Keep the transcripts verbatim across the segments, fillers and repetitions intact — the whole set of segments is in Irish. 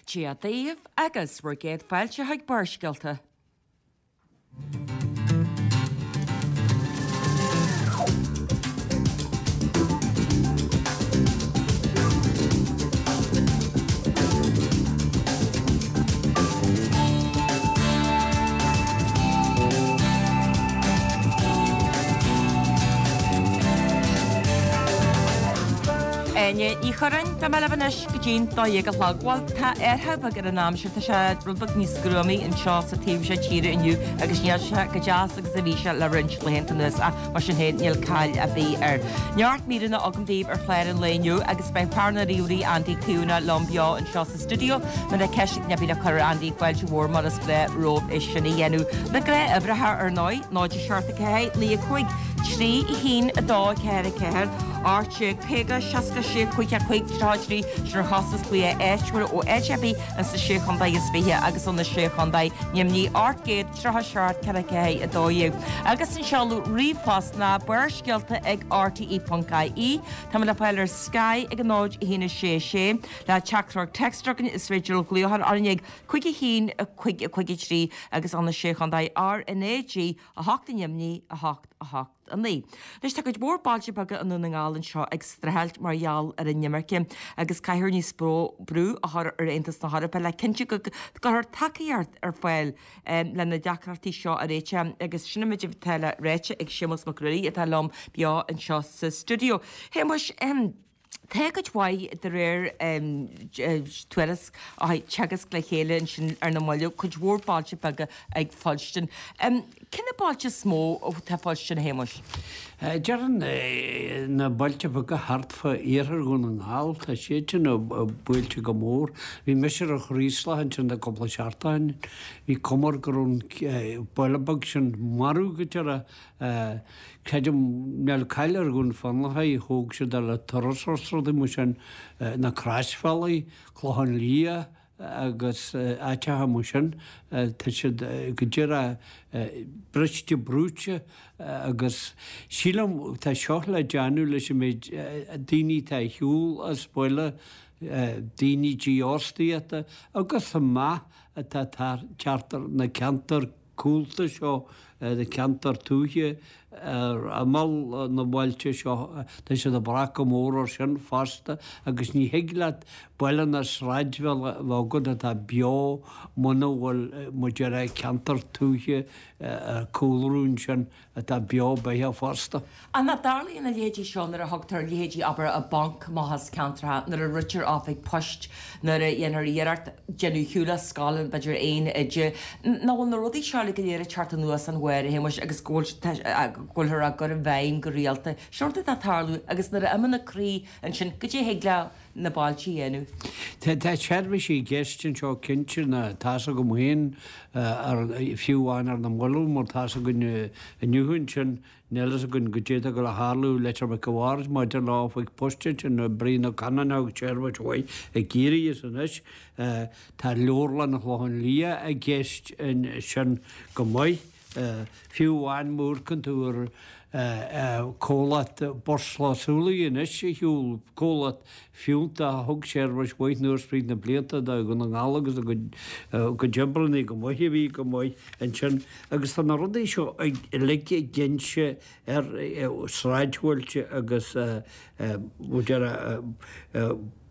Dia daoibh agus bhur gcéad fáilte chuig Barrscéalta. Áine Ní Churráin, Beidh mé libh anois go dtí'n dó dhéag a chlog. Bhuel, tá athrú beag ar an aimsir, tá sé rud beag níos gruamaí anseo sa taobh seo tíre inniu agus níl sé chomh deas agus a bhí sé le roinnt laethanta anuas ach mar sin féin níl caill ar bith air. Neart míreanna agam daoibh ar chlár an lae inniu agus beidh fear na ríomhairí Andy Caomhánach liom beo anseo sa stiúideo. Má tá ceist ar bith le cur ar Andy fáilte mhór mar is gnáth romhaibh é sin a dhéanamh. Na gnáthuimhreacha ar ndóigh, náid a seacht a ceathair, naoi a cúig, trí a haon a dó ceathair a ceathair, ocht déag caoga, seasca sé, cúig a cúig, tríocha a trí, sin ar chostas glaoch áitiúil ó áit ar bith ins na Sé Chontae is Fiche agus ó na Sé Chontae neamhní ocht gcéad tríocha seacht ceithre ceathair a dó dhéag. Agus an seoladh ríomhphost ná barrscéalta ag rte ponc ie. Tá mé le fáil ar Sky ag a náid a haon a sé a sé. Le teachtaireacht téacs a chugainn is féidir glaoch a chur orainn ag cúig a haon a cúig a cúig a trí agus ó na Sé Chontae R N A G a hocht neamhní a hocht a hocht a naoi. Anois tá cuid mhór bailte beaga i nDún na nGall anseo ag streachailt mar gheall ar an imirce agus caithfear níos mó brú a chur ar Aontas na hEorpa le cinntiú go gcuirfear tacaíocht ar fáil le na deacrachtaí seo a réiteach agus sin an méid atá le ráite ag Séamus Mac Ruairí atá liom beo anseo sa stiúideo. Shéamuis, tá cuid mhaith de réir tuairisc a thug Teagasc le chéile ansin ar na mallaibh, cuid mhór bailte beaga ag fuilstin. Cé na bailte is mó atá ag fuilstin, a Shéamuis? Déarfainn na bailte beaga thart fá iarthar Dhún na nGall, tá siad sin buailte go mór. Bhí mise ar an Chraoslach ansin le cúpla seachtain. Bhí cuma air go raibh an baile beag sin marbh go deireadh. Creidim, níl caill ar Dhún Fionnachaidh, thóg siad é le turasóirí is rudaí mar sin, na Croisbhealaí, Clochán Liath agus áiteacha mar sin, tá siad go díreach briste brúite agus sílim tá seo le déanamh leis an méid daoine atá ar shiúl as baile, daoine dífhostaíochta agus an meath atá ag teacht ar na ceantair cúlta seo, na ceantair tuaithe ar imeall na mbailte seo, tá siad ag brath go mór air sin fosta agus ní thig leat baile ná sráidbhaile a bheith agat atá beo muna bhfuil, mar a déarfá, ceantar tuaithe ag cúlrú ansin atá beo beathach fosta. Ach nach dtarlaíonn a leithéidí seo nuair a thugtar leithéidí, abair, an Banc amach as ceantracha, nuair a ritear oifig poist, nuair a dhéantar iarracht déanamh ar shiúl as scoil, b'fhéidir aon oide. Nach bhfuil na rudaí seo uilig go léir ag teacht anuas an bharr, a Shéamuis, agus go bhfuilthear á gcur i bhfeidhm go rialta. Sin rud atá ag tarlú agus nuair a imíonn an croí ansin, goidé a thig le na bailte a dhéanamh? Tá seirbhísí i gceist anseo cinnte, ná tá's agam féin, fiú amháin ar na mallaibh mar tá's againn inniu ansin, níl fhios againn goidé atá ag dul a tharlú i Leitir Mhic a' Bhaird maidir le oifig poist ansin, Brian Ó Cannáin a thug seirbhís mhaith i gCiarraí is anois tá Leabharlann an Chlocháin Liath i gceist ansin go maith. Fiú amháin má amharcann tú ar comhlacht Bhus Súilí anois ar shiúl, comhlacht fiúntach a thug seirbhís mhaith anuas fríd na blianta do Dhún na nGall agus a gcuid oibreanna go maith a bhí go maith ansin agus tá na rudaí seo uilig ag inse ar sráidbhailte agus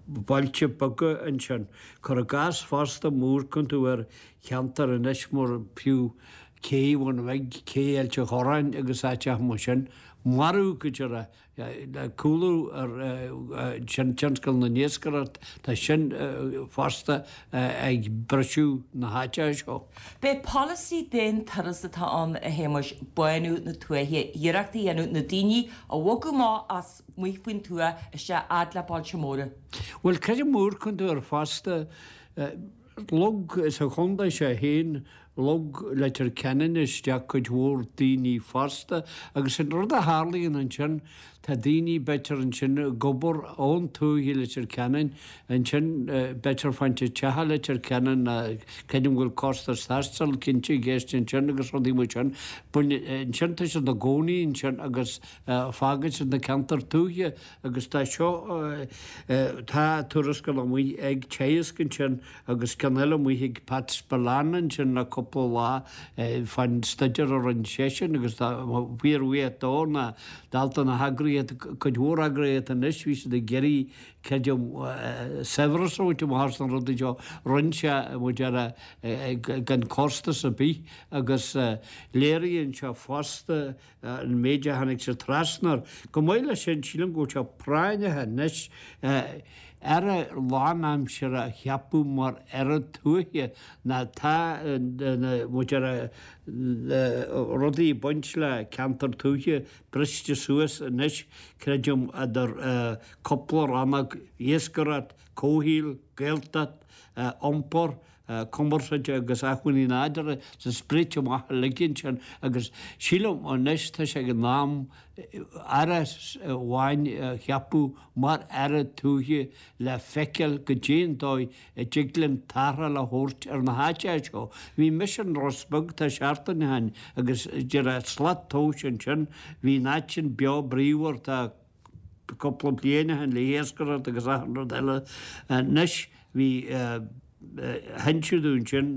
bailte beaga ansin. Cuir i gcás fosta má amharcann tú ar cheantar anois mar fiú Cé Bhun Bhig, Cé Ailt an Chorráin agus áiteacha mar sin, marbh go díreach le cúlú ar tionscal na n-iascaireacht, tá sin fosta ag briseadh na háiteacha seo. B'é polasaí d'aon turas atá ann, a Shéamuis, bánú na tuaithe, iarracht a dhéanamh na daoine a bhogadh amach as amuigh faoin tuath isteach fhad le bailte móra. Bhuel, creidim má amharcann tú air fosta, Lug sa chontae seo féin, Shlog Leitir Ceanainn isteach cuid mhór daoine fosta agus an rud a tharlaíonn ansin, tá daoine b'fhéidir ansin ag obair ón tuath i Leitir Ceanainn, ansin b'fhéidir fáinnt teach i Leitir Ceanainn, creidim go bhfuil costas taistil cinnte i gceist ansin agus rudaí mar sin. Ansin tá siad ina gcónaí ansin agus fágann siad na ceantair tuaithe agus tá seo, tá tuarascáil amuigh ag Teagasc ansin agus ceann eile amuigh ag Pat Spillane ansin le cúpla lá fán staidéar a rinne seisean agus tá fíorbhuíoch dó ná dalta na heagraíochta, cuid mhór eagraíochta anois, bhí siad ag iarraidh creidim saibhreas a bhaint amach as na rudaí seo, rinne sé mar a déarfá gan costas ar bith agus léiríonn sé fosta an méid a tháinig siad trasna air. Chomh maith leis sin, sílim go bhfuil sé práinneach anois Aire lánaimseartha a cheapadh mar Aire Tuaithe ná tá mar a déarfá rudaí ag baint le ceantar tuaithe briste suas anois, creidim, idir cúpla rannóg, iascaireacht, comhshaol, Gaeltacht, iompar, cumarsáid agus acmhainní nádúrtha tá spréite amach uilig ansin agus sílim anois tá sé ag an am Aire amháin a cheapadh mar Aire Tuaithe le feiceáil goidé an dóigh a dtig linn tarrtháil a thabhairt ar na háiteacha seo. Bhí mise in Ros Beag tá seachtain ó shin agus de réir slat tomhais ansin bhí an áit sin beo bríomhar tá cúpla bliain ó shin le hiascaireacht agus achan rud eile. Anois bhí d'inis dúinn ansin,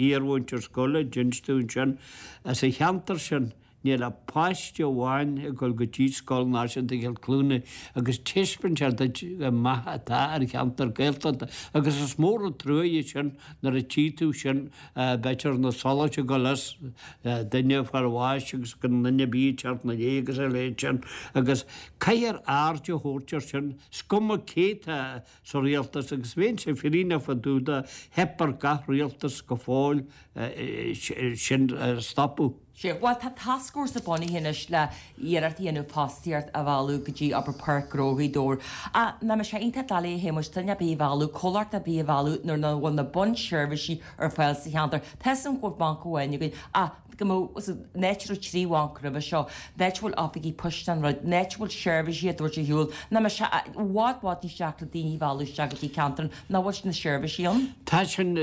iarmhúinteoir scoile, d'inis dúinn ansin, as an cheantar sin níl ach páiste amháin ag dul go dtí Scoil Náisiúnta Chill Chluanaí agus taispeánann sé duit an meath atá ar cheantar Gaeltachta agus is mór an trua é sin nuair a tchí tú sin b'fhéidir na solais ag dul as duine ag fáil bháis agus gan duine ar bith ag teacht ina dhiaidh agus a leithéid sin agus caithfear aird a thabhairt air sin, is cuma cé tá sa rialtas agus bheinnse fírinneach fá dtaobh de, theip ar gach rialtas go fóill sin a stopadh. Sea, bhuel tá tascfhórsa bunaithe anois le iarracht a dhéanamh fostaíocht a mhealladh go dtí obair Páirc Ghnó Ghaoth Dobhair. Ach nach mbeadh sé iontach doiligh a Shéamuis duine ar bith a mhealladh, comhlacht ar bith a mhealladh nuair nach bhfuil na bunseirbhísí ar fáil sa cheantar. Tá 'fhios a'm go bhfuil banc amháin againn ach go mbeadh, an áit a raibh trí bhanc roimhe seo, an áit a bhfuil oifigí poist an rud, an áit a bhfuil seirbhísí á dtabhairt ar shiúl, nach mbeadh sé i bhfad bhfad níos deacra daoine a mhealladh isteach go dtí ceantar nach bhfuil na seirbhísí ann? Tá sin,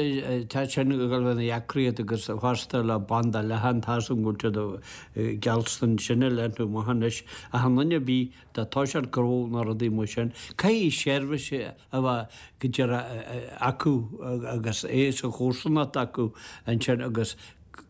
tá sin ag dul a bheith ina dheacracht agus fosta le banda leathan, tá 'fhios a'm go bhfuil siad gealltan sin a leathnú amach anois ach in aon bith dá toiseacht gnó nó rudaí mar sin, caithfidh seirbhís a bheith go díreach acu agus é sa chomharsanacht acu ansin agus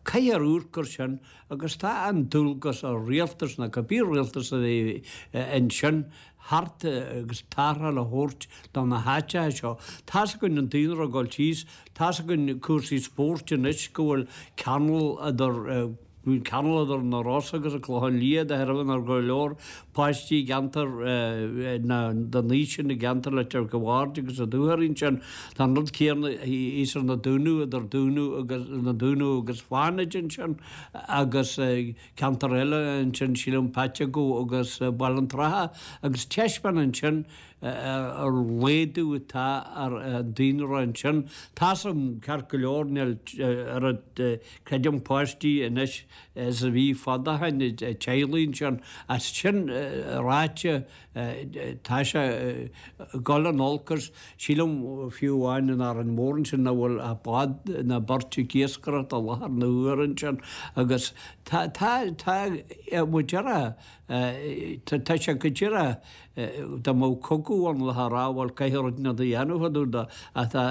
caithfear amharc air sin agus tá an dualgas ar rialtas nó cibé rialtas a bheidh ansin thart agus tarrtháil a thabhairt do na háiteacha seo. Tá's againn an daonra ag dul síos, tá's againn cúrsaí spóirt anois go bhfuil ceangal idir Bhí ceangal idir na Rosa agus an Clochán Liath de thairbhe nach raibh go leor páistí i gceantar na den aois sin i gceantar Leitir Bhaird agus an Dúchoraidh ansin. Tá an rud céanna thíos ar na Dúnaibh idir Dúnaibh agus na Dúnaibh agus Fánaid ansin agus ceantar eile ansin sílim Paiteagó agus Baile an Trátha agus taispeánann sin an laghdú atá ar an daonra ansin. Tá's a'm ceart go leor níl oiread creidim páistí anois is a bhí fadó ó shin i dteaghlaigh ansin. Ach sin ráite tá sé ag dul in olcas. Sílim fiú amháin in Árainn Mhór ansin nach bhfuil ach bád nó beirt ag iascaireacht i láthair na huaire ansin agus tá tá tá mo deireadh Tá sé go díreach dá mbeadh cogadh ann le rá bhuel caithfidh rud inteacht a dhéanamh fá dtaobh de ach tá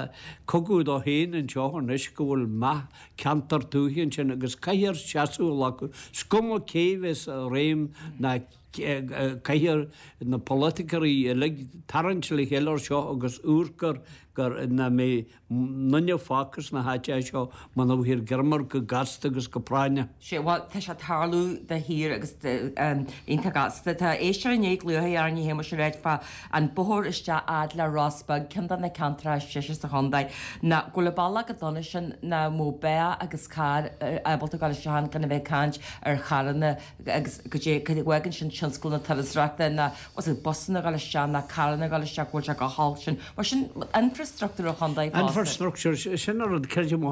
cogadh dó féin anseo anois go bhfuil meath ceantar tuaithe ansin agus caithfear seasamh a ghlacadh. Is cuma cé bheas i réim ná caithfear na polaiticeoirí uilig tarraingt le chéile ar seo agus amharc air gur nach mbeidh duine fágtha sna háiteacha seo muna bhfaighfear greim air go gasta agus go práinneach. Sea, bhuel, tá sé ag tarlú de shíor agus iontach gasta. Tá éisteoir i ndiaidh glaoch orainn a Shéamuis ag ráit fá an bóthar isteach fhad le Ros Beag, ceann de na ceantracha is deise sa chontae, ná go bhfuil an bealach chomh dona sin nach mbeadh beathach agus carr ábalta dul isteach ann gan a bheith ag caint ar charranna agus go dté go bhfágann sin tionscal na turasóireachta ná was it busanna ag dul isteach ná carranna ag dul isteach go bhfuil sé go holc sin. Mar sin infrastruchtúr an chontae fosta. Infrastructure, sin an rud creidim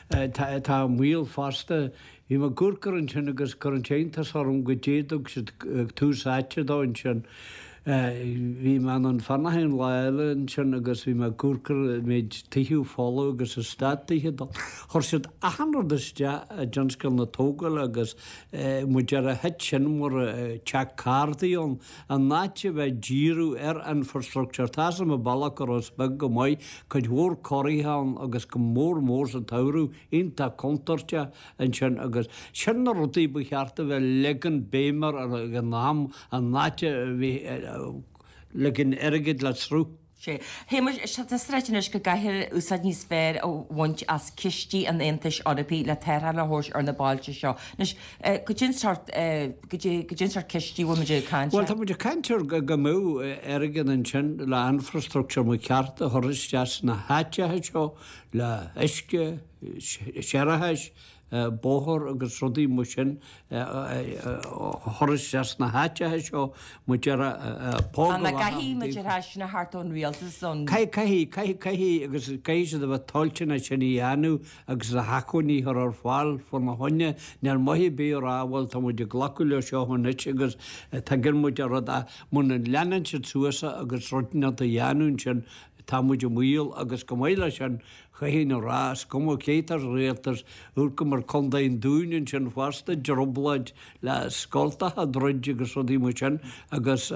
tá i mbaol fosta. Bhí mé ag amharc air ansin agus chuir an t-iontas orm go dtug siad tús áite dó ansin. Bhí mé in An Fionnachaidh an lá eile ansin agus bhí mé ag amharc ar an méid tithe folamh agus eastát tithe dó. Chuir siad achan rud isteach i dtionscal na tógála agus mar a déarfá thit sin mar teach cárdaí ann. In áit a bheith ag díriú ar infrastructure, tá 'fhios a'm an bealach go Ros Beag go maith, cuid mhór corraithe ann agus go mór mór sa tsamhradh, iontach contúirteach ansin agus sin na rudaí ba cheart a bheith leagan béim air ag an am in áit a bheith leagan airgid le sruth. Sea. Shéamais, tá sé ráite anois go gcaithfear úsáid níos fearr a bhaint as cistí an Aontais Eorpaigh le tarrtháil a thabhairt ar na bailte seo. Anois, goidé an sórt, goidé an sórt cistí a bhfuil muid ag caint air? Bhuel, tá muid ag caint ar go mbeadh airgead ansin le infrastructure mar cheart a chur isteach sna háiteacha seo le huisce, séarachais, bóthar agus rudaí mar sin a chur isteach sna háiteacha seo mar a déarfá póg a Caithfidh muid ar sin a theacht ón rialtas ón. Caithfidh, caithfidh, caithfidh agus caithfidh siad a bheith toilteanach sin a dhéanamh agus na hacmhainní a chur ar fáil fána choinne. Níl maith ar bith a rá bhuel tá muid ag glacadh leo seo anois agus tuigeann muid an rud ach muna leanann siad suas agus rud inteacht a dhéanamh ansin tá muid i mbaol agus chomh maith leis sin Chaithfinn a rá, is cuma cé atá sa rialtas, amharcaim ar Contae an Dúin ansin fosta, trioblóid le scoltacha a dhruid agus rudaí mar sin agus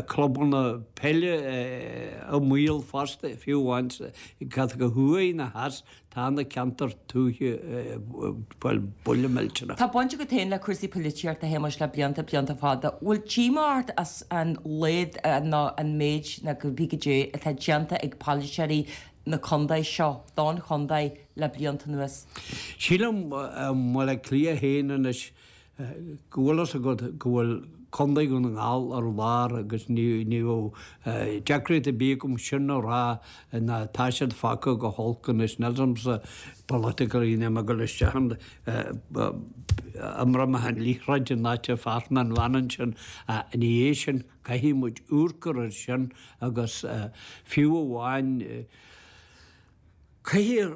clubanna peile i mbaol fosta, fiú amháin cad go thuaidh ná theas, tá na ceantair tuaithe bhuel, buille millteanach. Tá baint agat féin le cúrsaí polaitíochta, a Shéamais, le blianta, blianta fada. Bhfuil díomá ort as an laghad nó an méid nó cibé goidé atá déanta ag polaiteoirí na contae seo don chontae le blianta anuas. Sílim i mBaile Átha Cliath féin anois go bhfuil fhios agat go bhfuil Contae Dhún na nGall ar lár agus ní bheadh deacracht ar bith agam sin a rá ná tá siad fágtha go holc anois. Níl 'fhios a'msa politically níl mé ag dul isteach ann imreoidh mé an liathróid in áit a fear na bhfeann ansin ach ina dhiaidh sin caithfidh muid amharc air sin agus fiú amháin Caithfear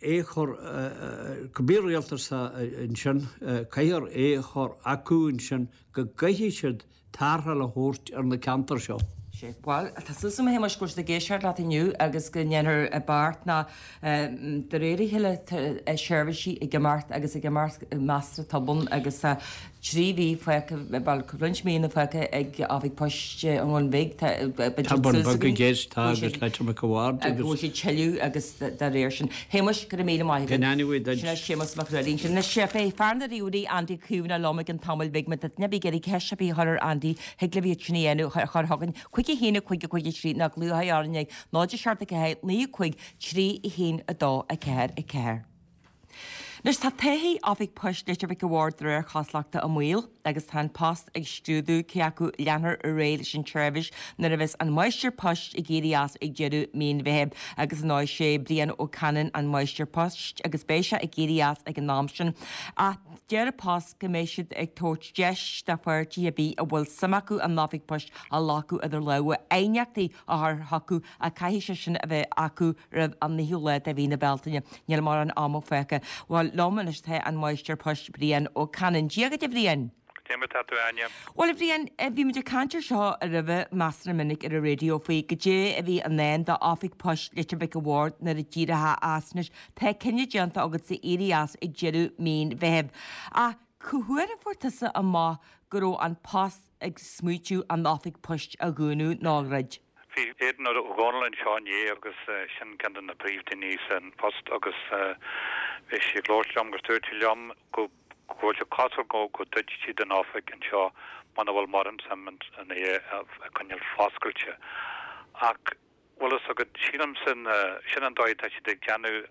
é a chur, cibé rialtas atá ansin, caithfear é a chur acu ansin go gcaithfidh siad tarrtháil a thabhairt ar na ceantair seo. Sea, bhuel, tá súil agam a Shéamais go bhfuil siad ag éisteacht leat inniu agus go ndéanfar beart ná de réir a chéile tá seirbhísí ag imeacht agus ag imeacht measartha tobann agus tá Trí mhí fágtha, bhuel, roinnt míonna fágtha ag Oifig Poist an Bhun Bhig, tá, Tá an Bun Beag i gceist, tá, agus Leitir Mhic a' Bhaird agus. Go bhfuil siad tuilleadh agus dá réir sin. Shéamais, go raibh míle maith agat. Go n-ainneoidh duit. Sin é Séamus Mac Ruairí. Anois, beidh fear na ríomhairí, Andy Caomhánach liom i gcionn tamaill bhig. Má tá duine ar bith ag iarraidh ceist ar bith a chur ar Andy, thig libh iad sin a dhéanamh, a chur chugainn, cúig a haon a cúig a cúig a trí, nó glaoigh orainn ag náid a seacht a ceathair naoi a cúig trí a haon a dó a ceathair a ceathair. Anois tá todhchaí Oifig Poist Leitir Mhic a' Bhaird de réir cosúlachta i mbaol agus tá An Post ag scrúdú cé acu leanfar ar aghaidh leis an tseirbhís nuair a bheas an Máistir Poist ag éirí as ag deireadh mí an Mheithimh agus ar ndóigh sé Brian Ó Canainn an Máistir Poist agus beidh sé ag éirí as ag an am sin ach deir An Post go mbeidh siad ag tabhairt deis do pháirtithe ar bith a bhfuil suim acu an Oifig Poist a ghlacadh idir lámha aighneachtaí a chur chucu ach caithfidh sé sin a bheith acu roimh an naoú lá de mhí na Bealtaine. Níl mórán ama fágtha. Bhuel, liom anois tá an Máistir Poist Brian Ó Canainn. Dia dhuit a Bhriain! Cad é mar atá tú a Áine? Bhuel a Bhriain, bhí muid ag caint ar seo roimhe measartha minic ar an raidió faoi goidé a bhí i ndán d'Oifig Poist Leitir Mhic a' Bhaird nuair a d'éireofá as. Anois tá cinneadh déanta agatsa éirí as ag deireadh mí an Mheithimh. Ach cá huair a fuair tusa amach go raibh An Post ag smaoitiú an Oifig Poist a dhúnadh nó a dhruid? Bhí Aidan Ó Dónaill anseo inné agus sin ceann de na príomhdhaoine san Post agus bhí sé ag labhairt liom agus dúirt sé liom go bhfuil sé cosúil go go druidfidh siad an oifig anseo muna bhfuil mórán suim in é a choinneáil foscailte. Ach bhfuil fhios agat, sílimse sin an dóigh atá siad ag déanamh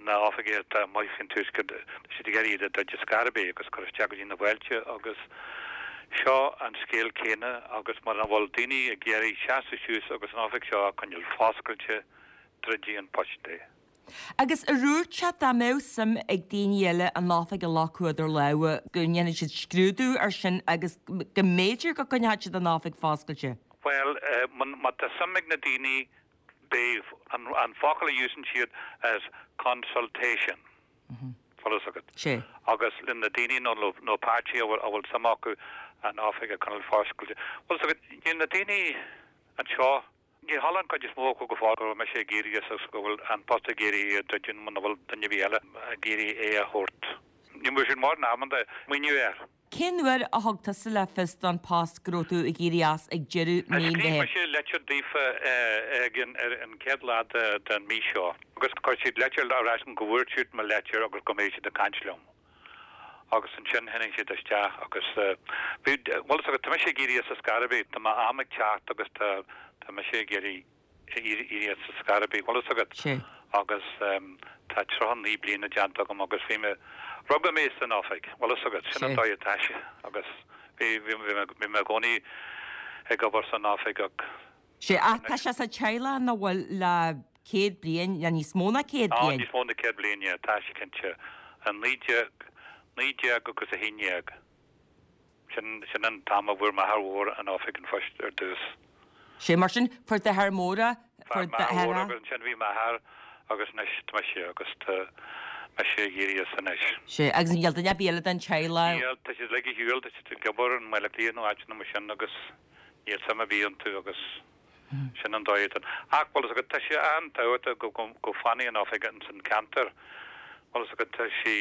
na hoifigí atá amuigh faoin tuaisceart, tá siad ag iarraidh iad a dhruid ar scor ar bith agus cur isteach go dtí na bailte agus seo an scéal céanna agus mura bhfuil daoine ag iarraidh seasamh suas agus an oifig seo a choinneáil foscailte, druidfidh An Post é. Agus ar dhúirt siad dá mbeadh suim ag daoine eile an oifig a ghlacadh idir lámha go ndéanfaidh siad scrúdú ar sin agus go mb'fhéidir go gcoinneodh siad an oifig foscailte? Bhuel, má tá suim ag na daoine beidh an focal a úsáideann siad as consultation. Bhfuil a fhios agat. Sé. Agus le na daoine nó nó páirtí a bhfuil a bhfuil suim acu an oifig a choinneáil foscailte. Bhfuil a fhios agat, níl na daoine anseo, ní chuala an chuid is mó acu go fóill go raibh mise ag iarraidh agus go bhfuil an post ag iarraidh é a druidim muna bhfuil duine ar bith eile ag iarraidh é a thabhairt. Ní bhfuil siad mórán ábalta smaoineamh air. Cén uair a thug tusa le fios don Post go raibh tú ag éirí as ag deireadh mí an Scríobh Mheithimh? mise litir daofa ag an ar an chéad lá de den mí seo agus chuir siad litir ar ais go bhfuair siad mo litir agus go mbeidh siad ag caint liom. Agus ansin tháinig siad isteach agus bhí bhfuil a fhios agat tá mise ag éirí as ar scor ar bith, tá m'am ag teacht agus tá tá mise ag éirí éirí as ar scor ar bith, bhfuil a fhios agat. Sé. Agus tá tríocha naoi bliana déanta agam agus bhí mé, rugadh mé san oifig, bhfuil a fhios agat, sin an dóigh atá sé agus bhí, bhí, bhí mé, bhí mé i gcónaí ag obair san oifig ach. Sé, ach tá sé sa teaghlach nach bhfuil le céad bliain, le níos mó ná céad Á, bliain. níos mó ná céad bliain, yeah, tá sé cinnte. I naoi déag, naoi déag agus a haon déag. Sin, sin an t-am a bhfuair m'athair mhór an oifig an phoist ar dtús. Sé mar sin, fuair d'athair mór é, Fuair fuair m'athair mór d'athair. agus ansin bhí m'athair agus anois tá mise agus tá mise ag éirí as anois. Sé, agus níl duine ar bith eile den teaghlach. Níl, tá siad uilig ar shiúl, tá siad ag obair i mBaile Átha Cliath nó áiteanna mar sin agus níl suim ar bith iontu agus sin an dóigh atá. Ach bhfuil a fhios agat, tá sé an-tábhachtach go, go, go bhfanfaidh an oifig ins an ceantar. Bhfuil a fhios agat, tá sé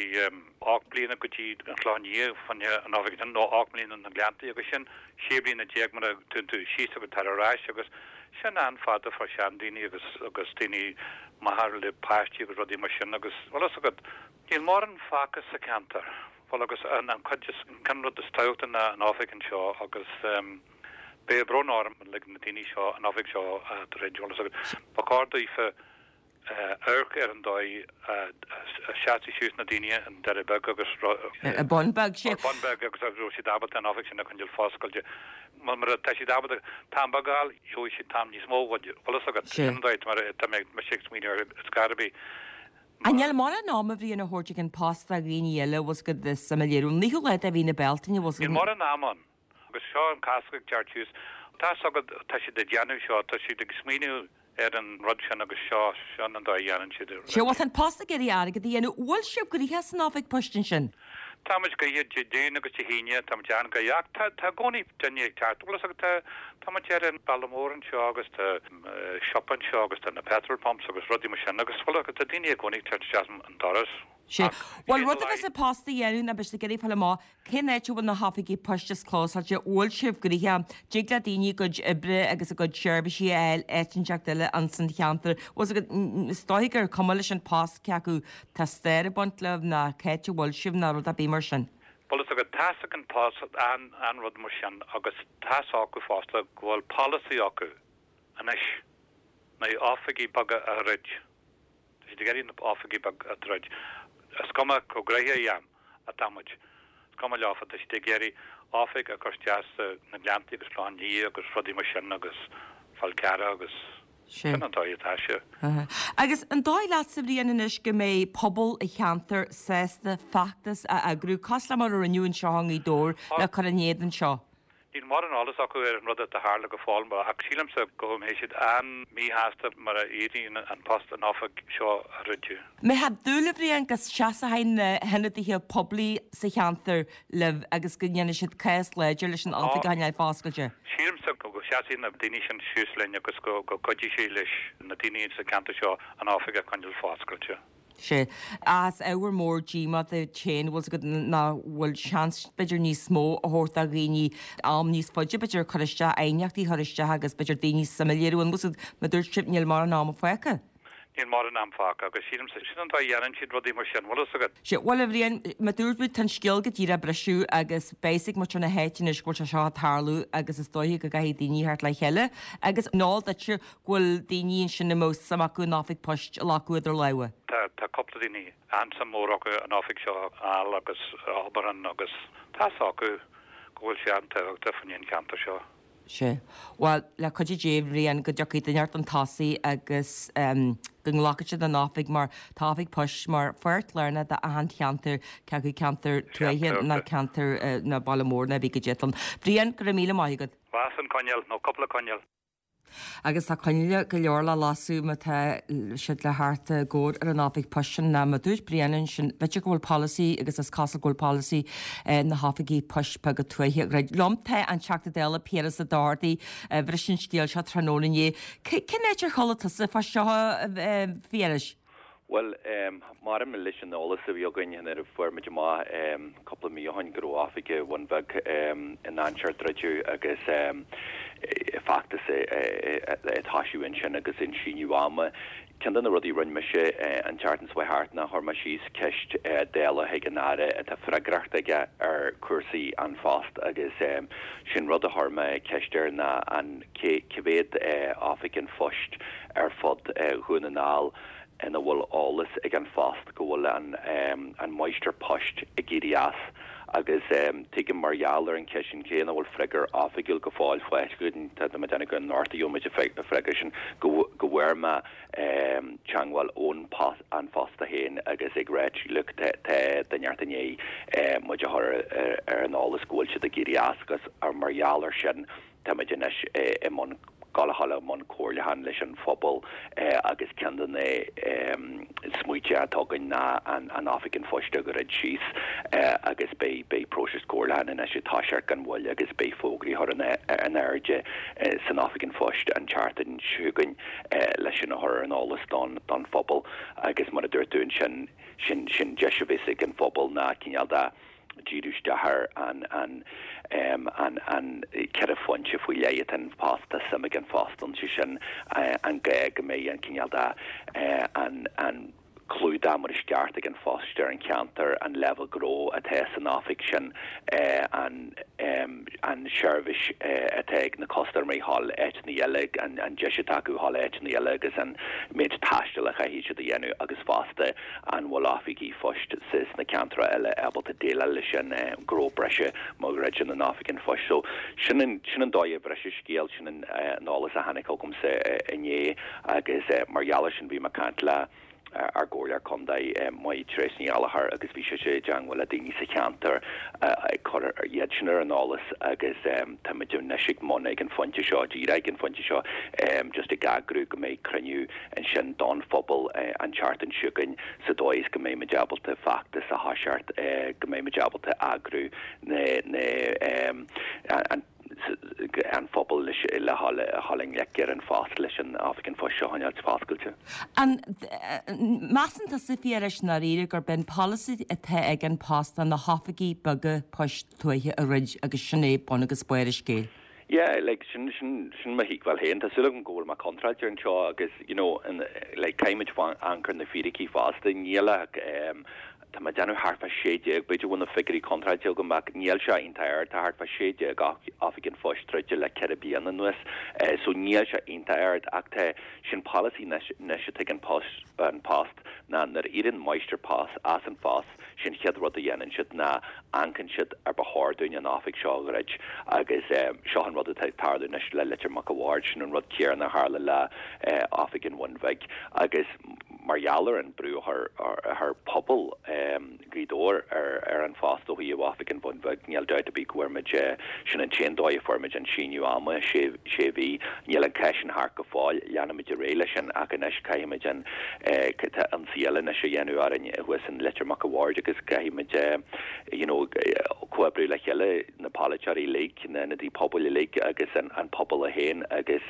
ocht mbliana go dtí an Clochán Liath fá choinne an oifig sin, nó ocht mbliana na Gleanntaí agus sin sé bliana déag mura dtéann tú síos agus tar ar ais agus sin an-fhada fá seandaoine agus agus daoine maithe le páistí agus rudaí mar sin agus bhfuil a fhios agat, níl mórán fágtha sa cheantar. Bhuel agus an an cuid is an rud is tábhachtaí ná an oifig anseo agus beidh brón orm le na daoine seo an oifig seo a dhruid, bhfuil a fhios agat. Ba chóir daofa amharc ar an dóigh a seasfaidh suas na daoine an Doire Beag agus An Bun Beag, sé. An Bun Beag agus raibh siad ábalta an oifig sin a choinneáil foscailte. Mar tá siad ábalta t-am beag a fháil, gheobhaidh siad t-am níos mó bhfuil a fhios agat. Sé. Sin an dóigh mar tá mé mise ag smaoineamh ar scor ar bith. An níl mórán ama a Bhriain á thabhairt ag an Post do dhaoine eile bhfuil a fhios agat suim a léiriú. An naoú lá de mhí na Bealtaine bhfuil a fhios Níl agat. mórán ama ann. Agus seo an cás ag teacht suas. Tá a fhios agat tá siad ag déanamh seo, tá siad ag smaoineamh ar an rud sin agus seo seo an dóigh a dhéanann siad. Sé, bhuel tá an Post ag iarraidh airgead a dhéanamh. Bhfuil sibh gnoitheach san oifig poist ansin? Tá muid gnoitheach Dé Luain agus Dé hAoine, tá muid an-gnoitheach ach tá tá i gcónaí duine ag teacht. Bhfuil a fhios agat tá tá muid ar an bealach mór anseo agus tá siopa anseo agus tá na petrol pumps agus rudaí mar sin agus bhfuil a fhios agat tá daoine i gcónaí ag teacht isteach an doras. Sé, Ach bhuel cén rud a bheas an Post a dhéanamh ná beidh siad ag iarraidh fáil amach cén áit a bhfuil na hoifigí poist is clósáilte, bhfuil sibh gnoitheach, dtig le daoine a gcuid oibre agus a gcuid seirbhísí a fháil áit inteacht eile ins an cheantar. Bhfuil a fhios agat, is dóigh gur cuma leis an Post cé acu tá stair ag baint libh ná cá háit a bhfuil sibh ná rud ar bith mar sin. Bhfuil a fhios agat tá a fhios ag an Post an an rud mar sin agus tá a fhios acu fosta go bhfuil polasaí acu anois na oifigí beaga a dhruid. Tá siad ag iarraidh na oifigí beaga a dhruid. Is cuma chomh gnoitheach atá muid. Is cuma leofa, tá siad ag iarraidh oifig a chur isteach sa na Gleanntaí agus Clochán Liath agus rudaí mar sin agus Fál Carrach agus Sé. sin an dóigh atá sé. Agus an dóigh leatsa a Bhriain anois go mbeidh pobal an cheantair sásta feachtas a eagrú, cosúil le mar a rinneadh anseo i nGaoth Dobhair le cur in éadan seo? Níl mórán eolas acu ar an rud atá tharla go fóill, ach sílimse go mbeidh siad an-mhíshásta mar a éiríonn an post an oifig seo a dhruideadh. Mbeifeá ag dúil a Bhriain go seasfaidh na hionadaithe poiblí sa cheantar libh agus go ndéanfaidh siad cás láidir leis an oifig a choinneáil foscailte? Sílimse go seasfaidh na daoine sin suas linn agus go go gcuideoidh sé leis na daoine sa cheantar seo an oifig a choinneáil foscailte. Sé. Is ábhar mór díomá duit féin bhfuil a fhios agat nach bhfuil seans b'fhéidir níos mó a thabhairt do dhaoine am níos faide b'fhéidir cur isteach aighneachtaí a chur isteach agus b'fhéidir daoine suim a léiriú an bhfuil a fhios agat mar dúirt sibh níl mórán ama fágtha. Níl mórán am fágtha agus sílimse sin an dóigh a dhéanann siad rudaí mar sin, bhfuil a fhios agat. Sé, bhuel a Bhriain, mar dúirt muid tá an scéal go díreach ag briseadh agus beidh a fhios ag muintir na háite anois go bhfuil sé seo ag tarlú agus is dóiche go gcaithfidh daoine theacht le chéile agus an eol duitse go bhfuil daoine ansin a mbeadh suim acu an oifig poist a ghlacadh idir lámha. Tá tá cúpla daoine an-suim mór acu an oifig seo a fháil agus a obair ann agus tá a fhios acu go bhfuil sé an-tábhachtach faoin cheantar seo. Sea. Bhuel, le cuidiú Dé, a Bhriain, go dtiocfaidh duine inteacht chun tosaigh agus go nglacfaidh siad an oifig mar tá oifig poist mar pháirt lárnach d'achan cheantar, cé acu ceantar tuaithe ná ceantar ná baile mór ná bí go dtéann. Brian, go raibh míle maith agat. Las an coinneal nó cúpla coinneal. Agus tá coinnle go leor le lasadh má tá siad le theacht i gcabhair ar an oifig poist sin ná mar a dúirt Brian ansin, b'fhéidir go bhfuil polasaí agus is cosúil go bhfuil polasaí na hoifigí poist beaga tuaithe a dhruid. Liom tá an Teachta Dála Piaras Ó Dochartaigh, bhris an scéal seo tráthnóna inné. Cén áit ar chuala tusa fá seo, a Phiarais? Bhuel, maidir leis an eolas a bhí againn nuair a fuair muid amach cúpla mí ó shin go raibh oifig an Bhun Bhig i ndainséar druidte agus feachtas ag toisiú ansin agus an síneadh ama. Ceann de na rudaí a rinne mise an tseachtain seo thart ná chuir mé síos ceist Dála chuig an Aire atá freagracht aige ar chúrsaí An Phost agus sin rud a chuir mé ceist air ná an cé mhéad oifig an phoist ar fud Dhún na nGall ina bhfuil eolas ag An Post go bhfuil an an máistir poist ag éirí as agus tuigim mar gheall ar an cheist sin cé nach bhfuil freagra oifigiúil go fóill faighte againn, tá mé ag déanamh go anocht a gheobhaidh muid an freagra sin, go go bhfuair mé teagmháil ón An Post féin agus ag ráit look tá duine inteacht i ndiaidh muid a chur ar an eolas go bhfuil siad ag éirí as agus mar gheall ar sin táimid anois i mbun dul a dhul i mbun comhairliúcháin leis an phobal agus ceann de na smaointe atá againn ná an Oifig an Phoist a dhruid síos agus beidh beidh próiseas comhairliúcháin anois ag toiseacht gan mhoill agus beidh fógraí á gcur in airde san Oifig an Phoist an tseachtain seo chugainn leis sin a chur ar an eolas don don phobal agus mar a dúirt tú ansin sin sin deis a bheas ag an phobal ná cineál de díriú isteach ar an an an an ceithre phointe faoi leith atá An Post, tá suim ag An Post ann, sé sin an gá go mbeidh an cineál de an an clúdach mar is ceart ag An Post ar an cheantar, an leibhéal gnó atá san oifig sin, an an seirbhís atá ag na custaiméirí a dhul áiteanna eile, an an deis atá acu a dhul áiteanna eile agus an méid taistil a chaithfidh siad a dhéanamh agus fosta an bhfuil oifigí phoist sna ceantracha eile ábalta déileáil leis an gnó breise má dhruideann an oifig an phoist. So sin an sin an dóigh a bhris an scéal, sin an eolas a tháinig chugamsa inné agus mar gheall air sin bhí mé ag caint le ár gcomhairleoir contae Máire-Treasa Ní Ghallchóir agus bhí sise i dteangmháil le daoine sa cheantar ag cur iad sin ar an eolas agus táimid anois ag mbun ag an phointe seo, díreach ag an phointe seo just ag eagrú go mbeidh cruinniú ansin don phobal an tseachtain seo chugainn sa dóigh is go mbeidh muid ábalta feachtas a thoiseacht, go mbeidh muid ábalta eagrú na na an an phobal le dhul i ngleic ar An Post leis an oifig an phoist seo a choinneáil foscailte. An measann tusa, a Phiarais, i ndáiríre gurb é an polasaí atá ag An Post ná na hoifigí beaga poist tuaithe a dhruid agus sin é bun agus barr an scéil? Yeah, like, sin, sin, sin mo thuigbheáil féin. Tá súil agam go bhfuil mé contráilte anseo agus, you know, in, like, caithfimid amharc ar na fíricí fosta. Níl ach, um, tá mé ag déanamh thart fá sé déag, b'fhéidir go bhfuil na figiúirí contráilte agam ach níl sé iontach ard, tá thart fá sé déag oifig an phoist druidte le ceithre bliana anuas. Uh, so níl sé iontach ard ach tá sin polasaí anois atá ag an post, an post ná nuair a éiríonn máistir post as an phost, Sin chéad rud a dhéanann siad ná amharcann siad ar ba chóir dúinn an oifig seo a dhruid agus seo an rud atá ag tarlú anois le Leitir Mac a' Bhaird, sin an rud céanna a tharla le oifig an Bhun Bhig agus mar gheall ar an brú a chuir pobal Ghaoth Dobhair ar An Phost ó thaobh oifig an Bhun Bhig, níl dabht ar bith go bhfuair muid, sin an t-aon dóigh a fuair muid an síneadh ama, sé mhí. Níl an cás sin thart go fóill, leanfaimid ar aghaidh leis sin ach anois caithfimid an, tá ionsaí eile anois á dhéanamh orainn thuas in Leitir Mac a' Bhaird agus caithfimid you know comhoibriú le chéile, na polaiteoirí uilig, na hionadaithe pobail uilig agus an an pobal é féin agus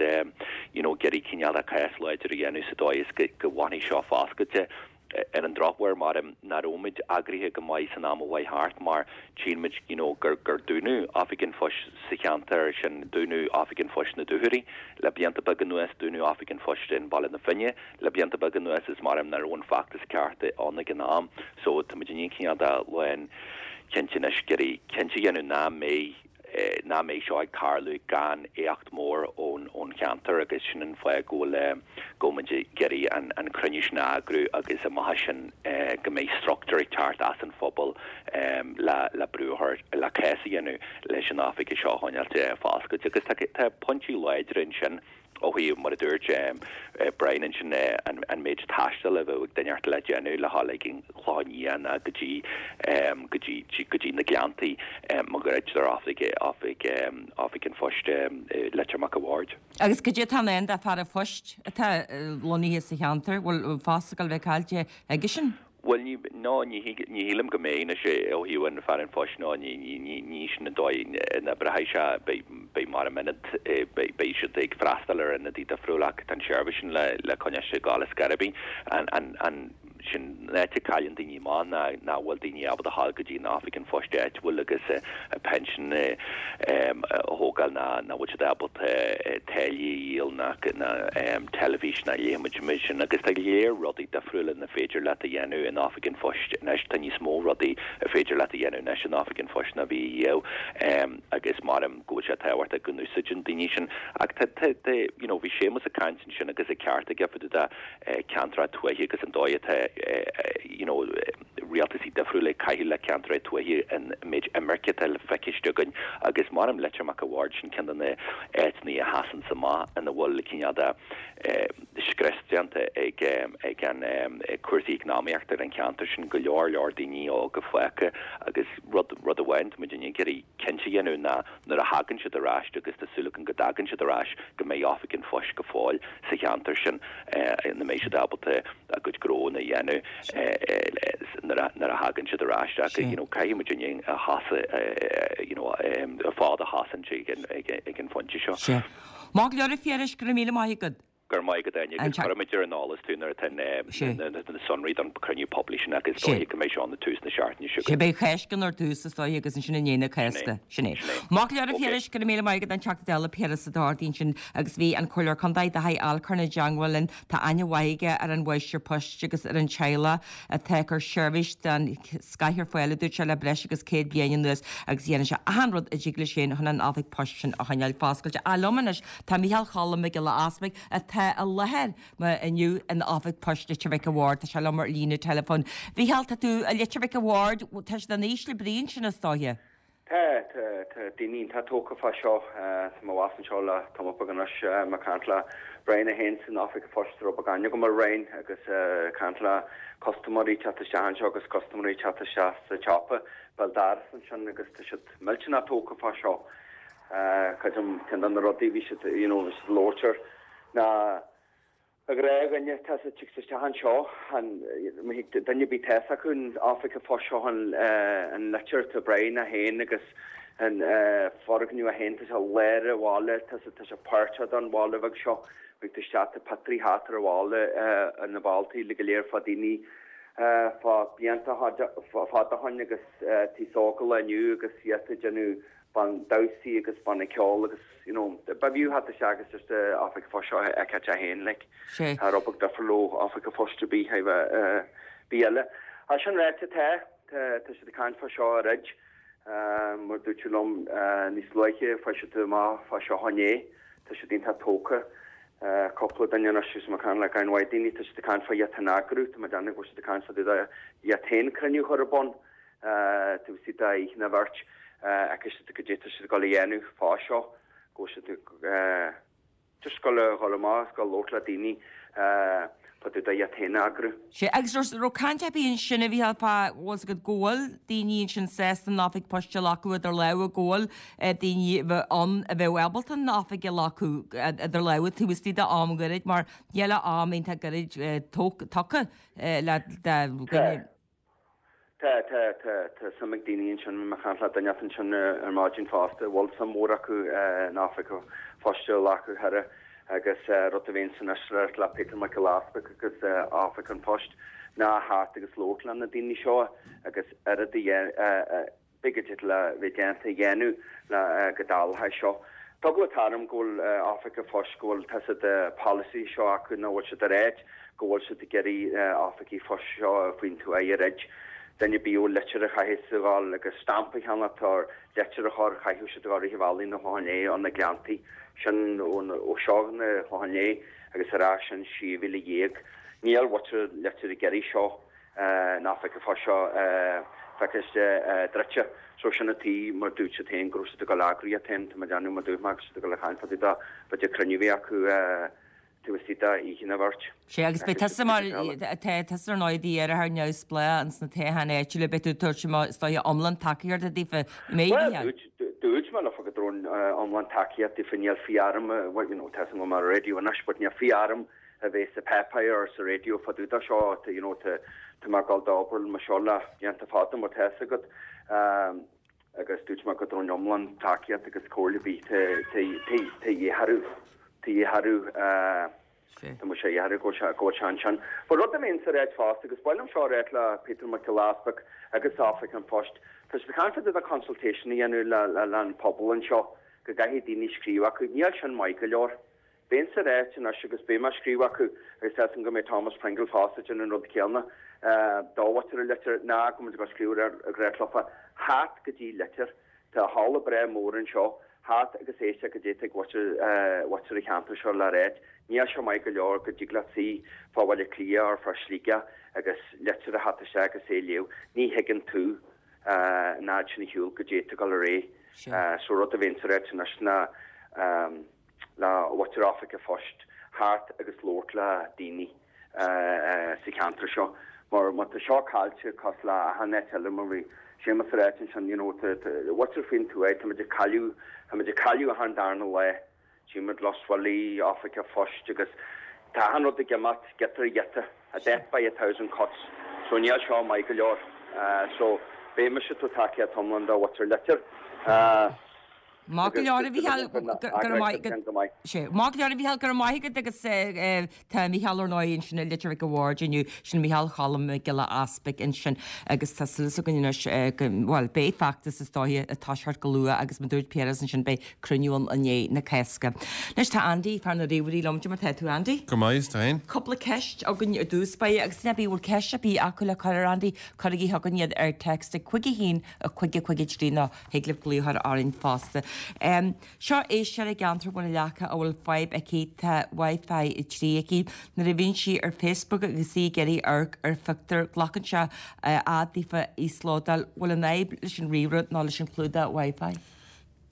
you know ag iarraidh cineál de cás láidir a dhéanamh sa dóigh is go go bhfanfaidh seo foscailte. Ar an drochuair, maram nach raibh muid eagraithe go maith san am a chuaigh thart mar tchíonn muid you know gur gur dúnadh Oifig an Phoist sa cheantar sin, dúnadh Oifig an Phoist na Dúchoraidhe le blianta beaga anuas, dúnadh Oifig an Phoist in Baile na Finne le blianta beaga anuas is maram nach raibh an feachtas ceart ann ag an am so tá muid i ndiaidh cineál de lán cinnte anois ag iarraidh cinnte a dhéanamh nach mbeidh nach mbeidh seo ag tarlú gan éacht mór ón ón cheantar agus sin an fáth go bhfuil go bhfuil muid ag iarraidh an an cruinniú sin a eagrú agus amach as sin go mbeidh struchtúr ag teacht as an phobal le le brú a chur le cás a dhéanamh leis an oifig seo a choinneáilt foscailte agus tá tá pointí láidre ansin ó thaobh mar a dúirt Brian ansin an méid taistil a bheadh ag duine le déanamh le dhul ag an Chlochán Liath ná go dtí go dtí go dtí na Gleanntaí má dhruidtear oifig oifig oifig an phoist Leitir Mac a' Bhaird. Agus goidé atá i ndán do fear an phoist atá lonnaithe sa cheantar, bhfuil post ag dul bheith caillte aige sin? Bhuel ní ná ní ní shílim go mbeidh na sé ó thaobh an fear an phoist ná ní ní ní ní sin an dóigh na breithe se beidh mar a minute beidh siad ag freastal ar ionadaí difriúil ach tá an seirbhís sin le le coinneáil sé gáil scarabí an an an sin net cailleann daoine amach ná ná bhfuil daoine ábalta a ghabháil go dtí an oifig an phoist áitiúil agus a pension a thógáil ná ná bhfuil siad ábalta teilí a dhíol ná ná teilifís ná léimid sin agus tá go leor rudaí difriúla na féidir leat a dhéanamh in oifig an phoist anois tá níos mó rudaí a féidir leat a dhéanamh anois in oifig an phoist ná bhí riamh agus mar go bhfuil sé tábhachtach go n-úsáideann daoine sin ach tá tá you know bhí Séamus ag caint ansin agus ag ceart aige fá dtaobh de ceantar tuaithe agus an dóigh atá you know rialtasaí difriúil ag caitheamh le ceantar tuaithe an méid imirce atá le feiceáil againn agus mar am Leitir Mac a' Bhaird sin ceann de na áiteanna a sheasann amach ina bhfuil cineál de scrios déanta ag ag an cúrsaí eacnamaíochta ar an cheantar sin go leor leor daoine óga fágtha agus rud rud amháin tá muid ag iarraidh cinnte a dhéanamh ná nuair a thagann siad ar ais agus tá súil againn go dtagann siad ar ais go mbeidh oifig an phoist go fóill sa cheantar sin na mbeidh siad ábalta a gcuid gnó a dhéanamh nuair a thagann siad ar ais ach you know caithfidh muid a sheasamh you know fad a sheasamh ag ag an phointe seo. Sé. Má leor féris go míle maith agat. Gur maith go daine agus cuirfimid ar an eolas tú nuair atá na sonraí don chruinniú poiblí sin agus dóigh go mbeidh seo na tús na seachtaine seo. Sé beidh Cásca ar dtús is dóigh agus ansin i ndiaidh na Cásca sin é. Má leor féris go míle maith agat an Teachta Dála Piaras Ó Dochartaigh sin agus bhí an Comhairleoir Contae de haghaidh Alcorn i dteagmháil linn tá aithne mhaith aige ar an mháistir poist agus ar an teaghlach atá ag cur seirbhís den scoth ar fáil dúirt sé le breis agus céad bliain anuas agus dhéanann sé achan rud a dtig leis féin chun an oifig poist sin a choinneáil foscailte. A liom anois tá Micheál Cholm Mac Giolla Easpaig atá i láthair inniu in oifig poist Leitir Mhic a' Bhaird tá sé liom ar líne telefón. Mhicheál tá tú i Leitir Mhic a' Bhaird tá sé an ísle brí sin is dóiche. Tá tá daoine tá tógtha fá seo tá mé anseo le tamall beag anois ag caint le Brian a haon san oifig phoist rud beag go mar Brian agus caint le custaiméirí teacht isteach anseo agus custaiméirí teacht isteach sa tsiopa béal dorais ansin agus tá siad millteanach tógtha fá seo. Creidim ceann de na rudaí bhí siad you know bhí siad labhairt air ná a ghréagaine tá sa isteach anseo an duine bí te acu an oifig phoist seo an an leitir tá Brian a haon agus an foirgneamh a haon tá sé lár an bhaile tá tá sé páirteach don bhaile bheag seo ag isteach tá pictiúirí thart ar an bhaile na balltaí le go léir fá daoine fá blianta fada ó shin agus tí sócail inniu agus iad ag déanamh ban damhsaí agus banna ceoil agus you know ba bhfiú theacht isteach agus just oifig phoist seo a fheiceáil é féin like tá rud beag difriúil ó oifig phoist ar bith bith eile. A sin ráite tá tá siad ag caint fá seo arís mar dúirt tú liom níos luaithe fuair siad amach fá seo inné tá siad iontach tógtha cúpla duine anois is mar le gan mhaith daoine tá siad ag caint fá iad féin a eagrú tá mé ag déanamh go bhfuil siad ag caint fá iad féin cruinniú a chur ar bun tú si da na bheirt agus go dté siad go le dhéanamh fá seo go siad just go le go amach go labhairt le daoine fá dtaobh de iad féin a eagrú. Sé agus raibh caint ar bith ansin a bhí fá bhfuil go bhfuil daoine sin sásta an oifig poist a ghlacadh idir lámha go bhfuil daoine ann a bheadh ábalta an oifig a ghlacadh idir lámha taobh istigh de am gairid mar níl am iontach gairid tugtha le duine. Tá tá tá tá suim ag daoine ansin mé ag caint le duine ansin ar maidin fosta bhfuil suim mhór acu an oifig phoist a ghlacadh thar agus rud a bhíonn san isreir le Peter Mac Giolla Easpaig agus oifig an phoist ná theacht agus labhairt le na daoine seo agus oiread a b'fhéidir le bheith déanta a dhéanamh le go dtarlóidh seo. Tá go tarm go bhfuil oifig an phoist go bhfuil tá siad policy seo acu ná bhfuil siad ar éit go bhfuil siad ag iarraidh oifigí phoist seo faoin tuath a dhruid. Duine ar bith a bhfuil litir a chaithfidh a ghabháil agus stampa a cheannacht or leitir a chur, chaithfeadh siad a ghabháil rith an bhealaigh na Clochán Léith ó na Gleanntaí sin ó seo na Clochán Léith agus ar ais sin sé mhíle dhéag. Níl mhuintir Leitir ag iarraidh seo ná feice fá seo feiciste druidte. So sin an tuige mar dúirt siad féin go raibh siad ag dul eagraíocht féin, tá mé ag déanamh mar dúirt mé agus siad ag dul a chaint fá dtaobh de b'fhéidir cruinniú a bhí acu taobh istigh de oíche nó bheirt. Sea, agus beidh tusa mar, tá tusa ar ndóigh d'iarrthóir neamhspleách ins na toghcháin áitiúla, beidh tú ag tabhairt amach is dóiche iomlán tacaíochta daofa, an mbeidh, Bhuel, Mhícheáil? dúirt, dúirt mé leofa go dtabharfainn iomlán tacaíocht daofa, níl fiú orm, well, you know, tá a fhios agam go bhfuil mé ar an raidió anois, but níl fiú orm a bheith sa páipéar or sa raidió fá dtaobh de seo, tá, you know, tá, tá mé ag dul d'obair mar seo le blianta fada mar tá a fhios agat. Agus dúirt mé go dtabharfainn iomlán tacaíocht agus comhairle ar bith tá, tá, tá, tá a dhíth orthu. Tá a dhíth orthu, tá muid a dhíth orthu go bhfuil sé, go bhfuil sé ansin. But rud a bhíonn sa ráit fosta, agus ba mhaith liom seo a ráit le Peter Mac Giolla Easpaig agus Oifig an Phoist, tá siad ag caint fá dtaobh de consultation a dhéanamh le, le, le an pobal anseo, go gcaithfidh daoine scríobh acu. Níl sin maith go leor. Bheinn sa ráit anois agus beidh mé ag scríobh acu agus tá a fhios agam go mbeidh Thomas Pringle fosta ag déanamh an rud céanna do mhuintir Leitir ná go mbeidh ag scríobh ar ag ráit leofa theacht go dtí Leitir. Tá halla breá mór anseo, theacht agus éisteacht goidé atá ag mhuintir mhuintir an cheantair seo le ráit. Níl sé maith go leor go dtig leat suí fá Bhaile Átha Cliath or fá Shligeach agus litir a theacht isteach agus é a léamh. Ní thuigeann tú an fhad sin ar shiúl goidé atá ag dul ar aghaidh. So rud a bhíonn sa ráit anois ná le mhuintir Oifig an Phoist theacht agus labhairt le daoine sa cheantar seo mar má tá seo caillte cosúil le achan áit eile mar bhí Séamus ag ráit ansin you know tá mhuintir faoin tuath táimid ag cailleadh táimid ag cailleadh achan darna lá tchímid Lough Swilly, Oifig an Phoist agus tá achan rud ag imeacht giota ar ghiota a death by a thousand cuts so níl seo maith go leor so beidh mise ag tabhairt tacaíocht iomlán do mhuintir Leitir. Maith go leor a Mhícheáil, go raibh maith agat. Sea, maith go leor a Mhícheáil, go raibh maith agat agus tá Mícheál ar ndóigh ansin i Leitir Mhic a' Bhaird inniu, sin Mícheál Cholm Mac Giolla Easpaig ansin agus tá súil againn anois go, bhuel, beidh feachtas is dóiche ag toiseacht go luath agus mar dúirt Piaras ansin beidh cruinniú ann i ndiaidh na Cásca. Anois tá Andy, fear na ríomhairí liom, cad é mar tá tú Andy? Go maith, is tú féin? Cúpla ceist againn ar dtús báire agus duine ar bith a bhfuil ceist ar bith acu le cur ar Andy, cuirigí chugainn iad ar text ag cúig a haon a cúig a cúig a trí nó thig libh glaoch a chur orainn fosta. Seo éisteoir i gceantar Bhun na Leaca a bhfuil fadhb aici, tá Wi-Fi a trí aici. Nuair a bhíonn sí ar Facebook agus í ag iarraidh amharc ar phictiúr, glacann sé fhad daofa íoslódáil. Bhfuil an fhadhb leis an ríomhaire nó leis an chlúdach Wi-Fi?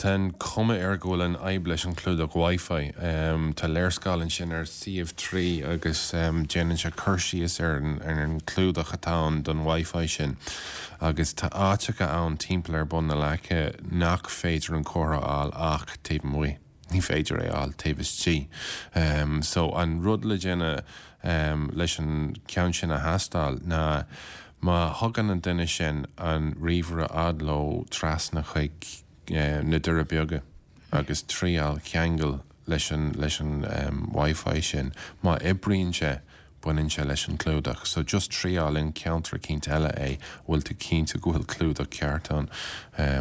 Tá an chuma air go bhfuil an fhadhb leis an chlúdach Wi-Fi. Tá léarscáil ansin ar suíomh trí agus déanann sé cur síos ar an chlúdach atá ann don Wi-Fi sin. Agus tá áiteacha ann timpeall ar Bhun na Leaca nach féidir an comhartha a fháil ach taobh amuigh. Ní féidir é a fháil taobh istigh. So an rud le déanamh leis an ceann sin a thástáil ná má thugann an duine sin an ríomhaire fhad leo trasna chuig na Doirí Beaga agus triail ceangal leis an leis an Wi-Fi sin. Má oibríonn sé, baineann sé leis an clúdach. So just triail in ceantar eicínt eile é, bhfuil tú cinnte go bhfuil clúdach ceart ann.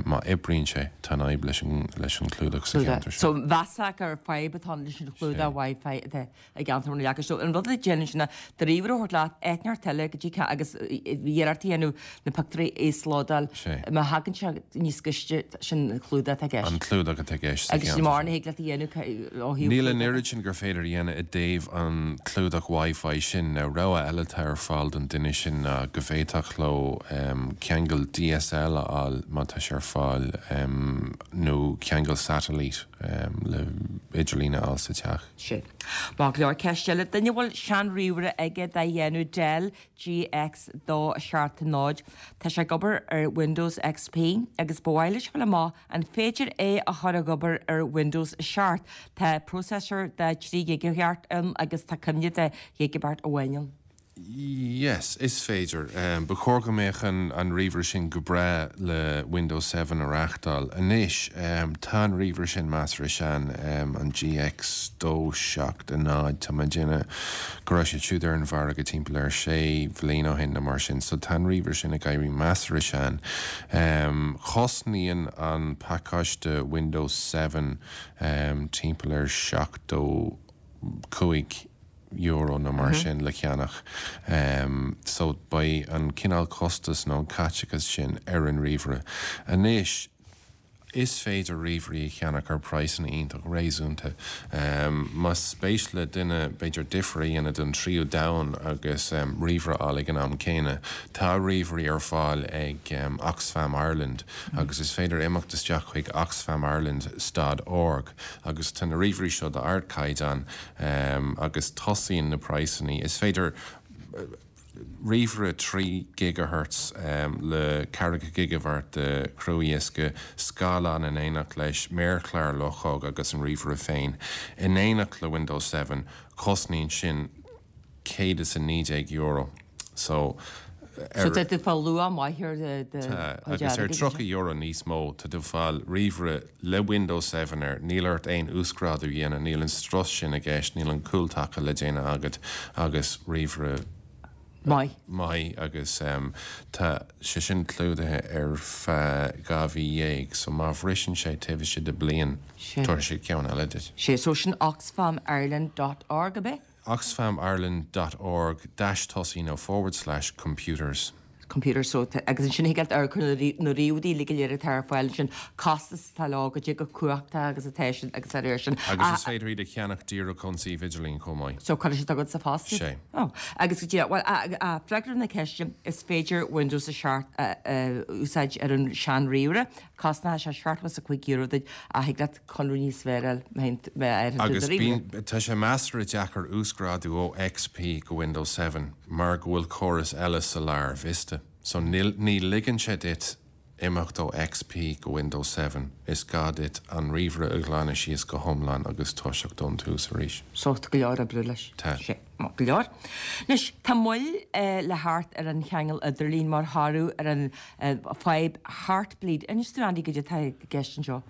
Má oibríonn sé, tá an fhadhb leis an leis an clúdach sa cheantar sin. So mheasfá gur fadhb atá ann leis an chlúdach Wi-Fi atá i gceantar na Leaca. So an rud a déanann sin ná do ríomhaire a thabhairt leat, áit inteacht eile go dtí agus iarracht a dhéanamh na pictiúirí a íoslódáil. Má thagann sé níos gaiste, sin an clúdach atá i gceist. An clúdach atá i gceist sa Agus cheantar mórán sin. a thig leat a dhéanamh ó thaobh Níl an clúdach. oiread sin gur féidir a dhéanamh i dtaobh an clúdach Wi-Fi sin. Now rogha eile atá ar fáil don duine sin ná go bhféadfadh leo ceangal DSL a fháil má tá sé ar fáil nó ceangal satailíte le idirlíon a fháil sa teach. Sin. Maith go leor. Ceist eile, duine a bhfuil sean-ríomhaire aige de dhéanamh Dell GX dó seacht náid. Tá sé ag obair ar Windows XP agus ba mhaith leis a fháil amach an féidir é a chur ag obair ar Windows a seacht. Tá processor de trí ghigeahéart ann agus tá cuimhne de ghigeabeart amháin ann. Yes, is féidir. Ba chóir go mbeadh an an ríomhaire sin go breá le Windows Seven a reáchtáil. Anois, tá an ríomhaire sin measartha sean, an GX dó seacht a náid, tá mé ag déanamh go raibh siad siúd ar an mhargadh timpeall ar sé bhliain ó shin nó mar sin, so tá an ríomhaire sin ag éirí measartha sean. Cosnaíonn an pacáiste Windows Seven timpeall ar seachtó cúig euro nó mar sin le ceannach. So beidh an cineál costas nó an caiteachas sin ar an ríomhaire. Anois, is féidir ríomhairí a cheannach ar praghsanna iontach réasúnta. Más spéis le duine b'fhéidir difear a dhéanamh don tríú domhan agus ríomhaire a fháil ag an am céanna, tá ríomhairí ar fáil ag Oxfam Ireland agus is féidir imeacht isteach chuig oxfamireland stad org agus tá na ríomhairí seo d'ardchaighdeán agus tosaíonn na praghsanna. Is féidir ríomhaire trí gigahertz le ceathracha gigabhairt de chruadhiosca, scáileán in éineacht leis, méarchlár luchóg agus an ríomhaire féin in éineacht le Windows Seven, cosnaíonn sin céad is a naoi déag euro. So, So tá tú ag fáil luach maith ar do Tá, agus ar tríocha euro níos mó tá tú ag fáil ríomhaire le Windows Seven air, níl ort aon uasghrádú a dhéanamh, níl an strus sin i gceist, níl an cúltaca le déanamh agat agus ríomhaire maith. Maith agus tá sé sin clúdaithe ar feadh dhá mhí dhéag, so má bhriseann sé taobh istigh de bliain, tabharfaidh siad ceann eile duit. Sé, so sin oxfamireland dot org, ab é? oxfamireland dot org dash tosaigh nó forward slash computers. Computers, so agus ansin thig leat amharc ar na ríomhairí uilig go léir atá ar fáil ansin, costas atá leo, goidé chomh cumhachtach agus atá siad agus dá réir sin. Agus is féidir iad a cheannach díreach ón suíomh idirlín chomh maith. So cuirfidh siad chugat sa phost iad? Sé. Oh, agus go díreach, bhuel, a, freagra na ceiste, is féidir Windows a seacht a úsáid ar an sean-ríomhaire, Cosnóidh sé seachtó is a cúig euro duit ach thig leat conradh níos fearr a fháil má fhaigheann tú Agus do ríomhaire. bíonn, tá sé measartha deacair uasghrádú ó XP go Windows Seven mar go bhfuil córas eile sa lár, Vista. So níl, ní ligeann sé duit imeacht ó XP go Windows Seven, is gá duit an ríomhaire a ghlanadh síos go hiomlán agus toiseacht ón tús arís. So tá go leor oibre leis. Tá. Sé. Maith go leor. Anois, tá moill le theacht ar an cheangal idirlín mar thoradh ar an fadhb Heartbleed. Inis dúinn, Andy, goidé atá i gceist anseo.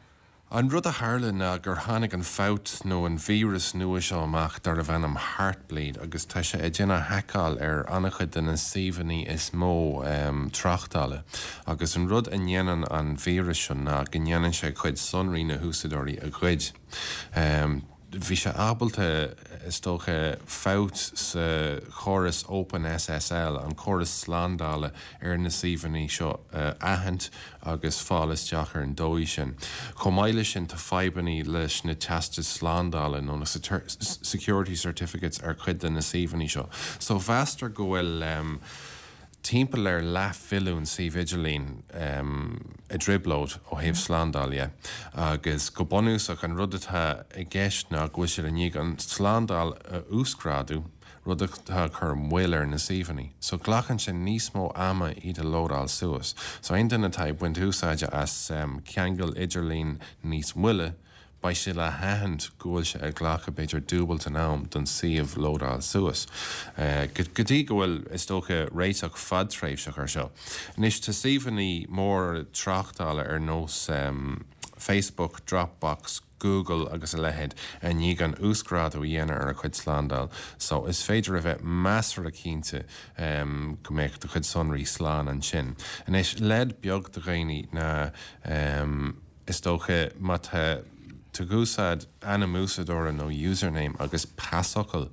An rud a tharla ná gur tháinig an fabht nó an víreas nua seo amach darbh ainm Heartbleed agus tá sé ag déanamh haiceáil ar an-chuid de na suíomhanna is mó tráchtála. Agus an rud a ndéanann an víreas seo ná go ndéanann sé cuid sonraí na húsáideoirí a ghoid. Bhí sé ábalta, is dócha, fabht sa chóras OpenSSL, an córas slándála ar na suíomhanna seo, a aithint agus fáil isteach ar an dóigh sin. Chomh maith leis sin, tá fadhbanna leis na teastais slándála nó na security certificates ar chuid de na suíomhanna seo. So mheastar go bhfuil timpeall ar leathmhilliún suíomh idirlín i dtrioblóid ó thaobh slándáil dhe agus go bunúsach an rud atá i gceist ná go bhfuil siad i ndiaidh an tslándáil a uasghrádú, rud atá ag cur moill ar na suíomhanna. So glacann sé níos mó ama iad a lódáil suas. So aon duine atá ag baint úsáide as ceangal idirlín níos moille, beidh sé le haithint go bhfuil sé ag glacadh b'fhéidir dúbailt an am don suíomh lódáil suas. Go dtí go bhfuil, is dócha, réiteach fadtréimhseach ar seo. Anois, tá suíomhanna móra tráchtála ar nós Facebook, Dropbox, Google agus a leithéid i ndiaidh an uasghrádú a dhéanamh ar a chuid slándáil so is féidir a bheith measartha cinnte go mbeadh do chuid sonraí slán ansin. Anois, leid beag do dhaoine ná, Is dócha, má tá tú ag úsáid ainm úsáideora nó username agus pasfhocal,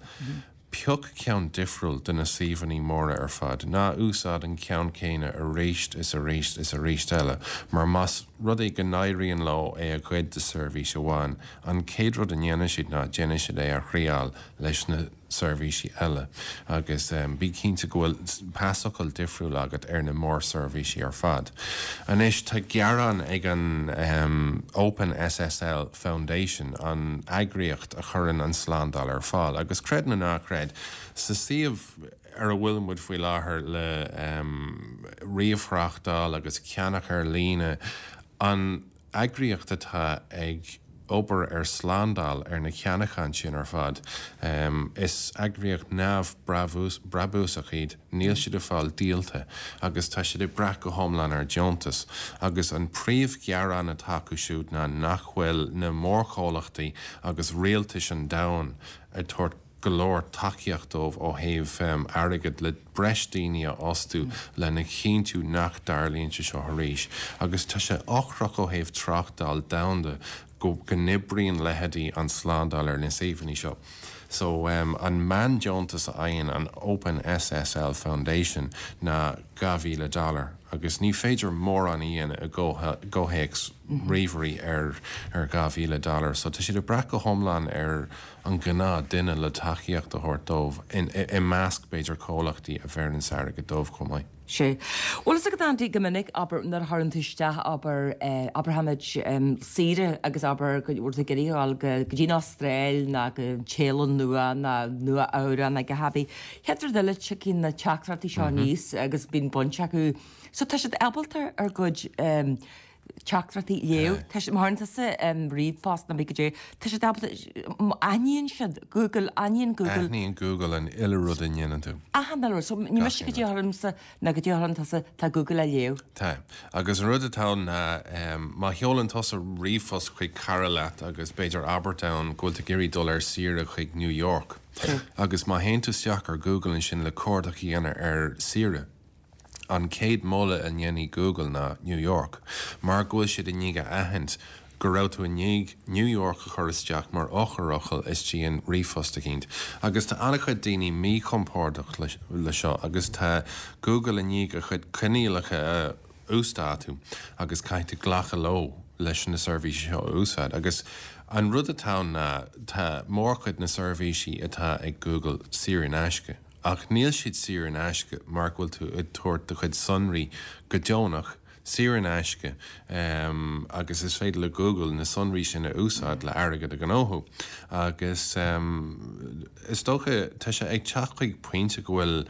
pioc ceann difriúil do na suíomhanna móra ar fad. Ná úsáid an ceann céanna arís is arís is arís eile, mar más rud é go n-éiríonn leo é a ghoid do seirbhís amháin, an chéad rud a ndéanfaidh siad ná déanfaidh siad é a thriáil leis na seirbhísí eile agus bí cinnte go bhfuil pasfhocal difriúil agat ar na mórseirbhísí ar fad. Anois, tá gearán ag an OpenSSL Foundation, an eagraíocht a chuireann an slándáil ar fáil, agus creid nó ná creid, sa suíomh ar a bhfuil muid faoi láthair le ríomhthráchtáil agus ceannach ar líne, an eagraíocht atá ag obair ar slándáil ar na ceannacháin sin ar fad. Is eagraíocht neamhbhrabúsach iad, níl siad ag fáil díolta agus tá siad ag brath go hiomlán ar deontas. Agus an príomhghearán atá acu siúd ná nach bhfuil na mórchomhlachtaí agus rialtais an domhain ag tabhairt go leor tacaíocht dóibh ó thaobh airgid le breis daoine a fhostú lena chinntiú nach dtarlaíonn sé seo arís. Agus tá sé ocrach ó thaobh tráchtáil domhanda go go n-oibríonn leithéidí an slándáil ar na suíomhanna seo. So an meándeontas a fhaigheann an Open S S L Foundation ná dhá mhíle dollar agus ní féidir mórán a dhéanamh i gcomhthéacs ríomhairí ar ar dhá mhíle dollar. So tá siad ag brath go hiomlán ar an gnáthdhuine le tacaíocht a thabhairt dóibh i measc b'fhéidir comhlachtaí a bheireann airgead dóibh chomh maith. Sé. Bhfuil a fhios agat, Andy, go minic abair nuair a chuireann tú isteach abair abraimid saoire agus abair go bhfuil tú ag iarraidh a dhul go dtí an Astráil ná go Séalainn Nua ná Nua Eabhrac ná go hAbí. Chéad rud eile tiocfaidh na teachtaireachtaí seo aníos agus bíonn baint acu. So tá siad ábalta ár gcuid teachtaireachtaí a léamh. Tá siad mar tusa ríomhphost nó go dté. Tá siad ábalta aithníonn siad Google aithníonn Google. Aithníonn Google an uile rud a ndéanann tú. Achan uile rud. So ní miste go dtí ormsa ná go dtí orm tusa tá Google á léamh. Tá. Agus an rud atá ná má sheolann tusa ríomhphost chuig cara leat agus b'fhéidir abairt ann go bhfuil tú ag iarraidh dul ar saoire chuig New York. Agus má théann tú isteach ar Google ansin le cuardach a dhéanamh ar saoire. An chéad mholadh a dhéanfaidh Google ná New York, mar go bhfuil siad i ndiaidh a aithint go raibh tú i ndiaidh New York a chur isteach mar eochairfhocal istigh in ríomhphost eicínt. Agus tá an-chuid daoine míchompordach le seo agus tá Google i ndiaidh a chuid coinníollacha a uasdátú agus caithfidh tú glacadh leo leis na seirbhísí seo a úsáid. Agus an rud atá ná tá mórchuid na seirbhísí atá ag Google saor in aisce. Ach níl siad saor in aisce mar go bhfuil tú ag tabhairt do chuid sonraí go deonach saor in aisce um, agus is féidir le Google na sonraí sin a úsáid le airgead a ghnóthú. Agus um, is dócha tá sé ag teacht chuig pointe go bhfuil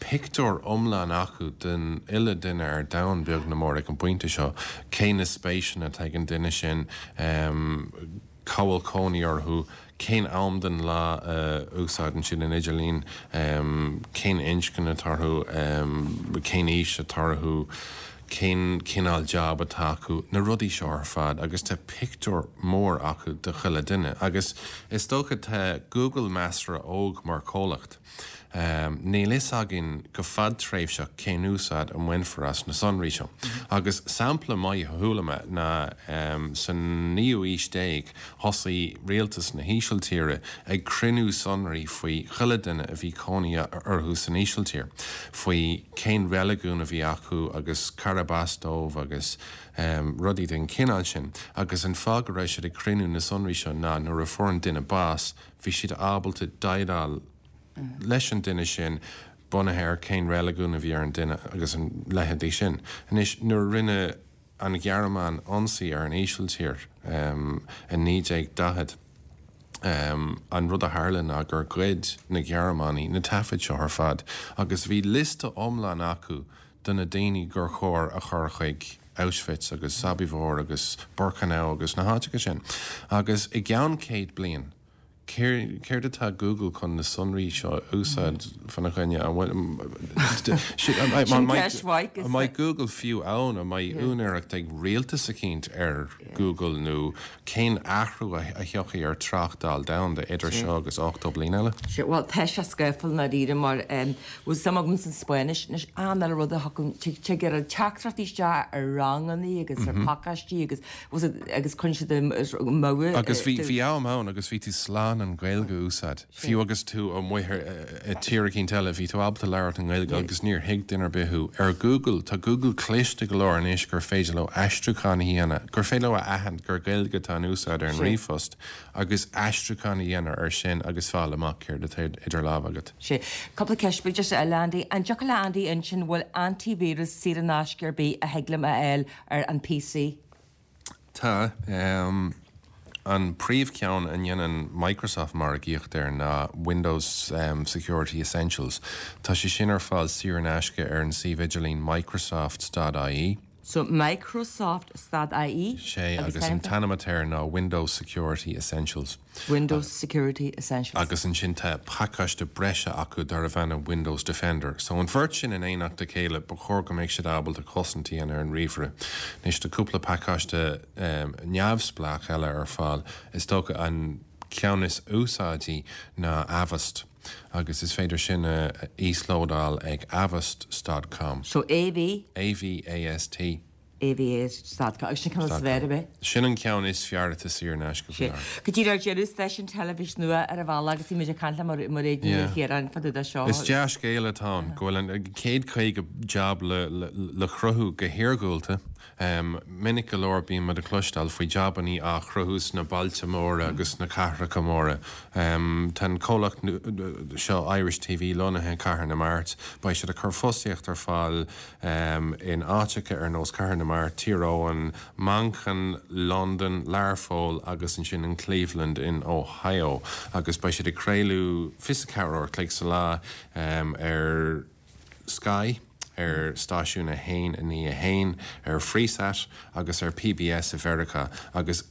pictiúr iomlán acu den uile duine ar domhan beag nó mór ag an bpointe seo, cé na spéiseanna atá ag an duine sin um, cá bhfuil cónaí orthu, cén am den lá uh, úsáideann siad an idirlíon, um, cén inscne atá orthu, um, cén aois atá orthu, cén cineál job atá acu, na rudaí seo ar fad agus tá pictiúr mór acu de chuile duine. Agus is dócha tá Google measartha óg mar chomhlacht. Um, Níl fhios againn go fadtréimhseach cén úsáid a mbainfear as na sonraí seo. Agus sampla maith a chuala mé ná um, san naoú haois déag thosaigh rialtas na hÍsiltíre ag cruinniú sonraí faoi chuile duine a bhí cónaí orthu san Ísiltír, faoi cén reiligiún a bhí acu agus cárb as dóibh agus um, rudaí den chineál sin, agus an fáth go raibh siad ag cruinniú na sonraí seo ná nuair a fuair an duine bás, bhí siad ábalta déileáil leis an duine sin bunaithe ar cén reiligiún a bhí ar an duine agus an leithéidí sin. Anois nuair a rinne an Ghearmáin ionsaí ar an Ísiltír um, i naoi déag daichead. Um, an rud a tharla ná gur ghoid na Gearmánaigh na taifid seo ar fad, agus bhí liosta iomlán acu de na daoine gur chóir a chur chuig Auschwitz agus Sobibor agus Birkenau agus na háiteacha sin. Agus i gceann céad bliain, céard atá Google chun na sonraí seo úsáid fána choinne? An mbeidh Google fiú ann? An mbeidh úinéireacht ag rialtas eicínt ar Google nó cén athrú a thiocfaidh ar tráchtáil domhanda idir seo agus ochtó bliain eile? Well tá sé scáfal na ríre mar bhfuil suim agam san Spáinnis anois an eile rud a thugann tig ar an teachtaireachtaí isteach ar ranganna agus ar pacáistí agus agus chun siad mo Agus bhí bhí am ann agus bhí tú slán an Ghaeilge a úsáid. Fiú agus tú amuigh i tír eicínt eile bhí tú ábalta labhairt an Ghaeilge agus níor thuig duine ar bith thú. Ar Google tá Google cliste go leor anois gur féidir leo aistriúchán a dhéanamh, gur féidir leo a aithint gur Gaeilge atá in úsáid ar an ríomhphost agus aistriúchán a dhéanamh ar sin agus fáil amach céard atá idir lámha agat. Sé cúpla ceist beag just eile Andy, an dtiocfadh le Andy insint bhfuil antivirus saor in aisce ar bith a thig liom a fháil ar an P C? Tá um, an príomhcheann a ndéanann Microsoft margaíocht air ná Windows um, Security Essentials. Tá sé sin ar fáil saor in aisce ar an suíomh idirlín Microsoft dot I E. So Microsoft dot I E. Sé agus an t-ainm atá air ná Windows Security Essentials. Windows Security Essentials. Agus ansin tá pacáiste breise acu darbh ainm Windows Defender. So an bheirt sin in éineacht le chéile ba chóir go mbeidh siad ábalta cosaint a dhéanamh ar an ríomhaire. Anois tá cúpla pacáiste um, neamhspleách eile ar fáil is dócha an ceann is úsáidí ná Avast. Agus is féidir sin a íoslódáil ag avast dot com. So A V A V A S T. AVA stad agus sin ceann is fearr ab ea? Sin an ceann is fearr atá saor in aisce faoi láthair. Go díreach ar deireadh, stáisiún teilifíse nua ar an bhealach agus bhí muid ag caint le Mairéad Ní Chiaráin fá dtaobh de seo. Is dea-scéal atá ann go bhfuil an céad caoga jab le cruthú go hiargúlta. Minic go leor bíonn muid ag cloisteáil faoi jabannaí á chruthú sna bailte móra agus sna cathracha móra. Tá an comhlacht seo Irish TV lonnaithe i Cathair na Mart. Beidh siad ag cur fostaíocht ar fáil in áiteacha ar nós Cathair na Mart, Tír Eoghain, Manchain, Londain, Learpholl agus ansin in Cleveland in Ohio agus beidh siad ag craoladh fiche a ceathair uair a chloig sa lá ar Sky, ar stáisiún a haon a naoi a haon, ar Freesat agus ar PBS i Mheiriceá agus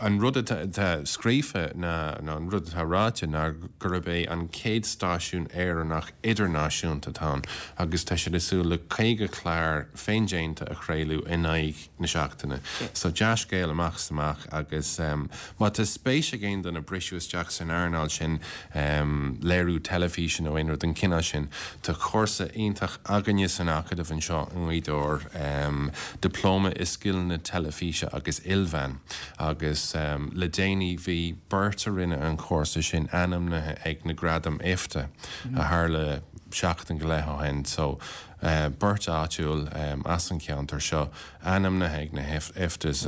an rud atá scríofa ná nó an rud atá ráite ná gurb é an chéad stáisiún Éireannach idirnáisiúnta atá ann agus tá siad ag súil le caoga clár féindéanta a chraoladh in aghaidh na seachtaine. So dea-scéal amach is amach agus má tá spéis ag aon duine briseadh isteach san earnáil sin, léiriú teilifíse nó aon rud den chineál sin, tá cúrsa iontach againne san Acadamh anseo i nGaoth Dobhair, Dioplóma i Scileanna Teilifíse agus Ilmheán agus Le déanaí bhí beirt a rinne an cúrsa sin ainmnithe ag na Gradaim IFTA a tharla seachtain go leith ó shin. So beirt áitiúil as an cheantar seo ainmnithe ag na IFTAs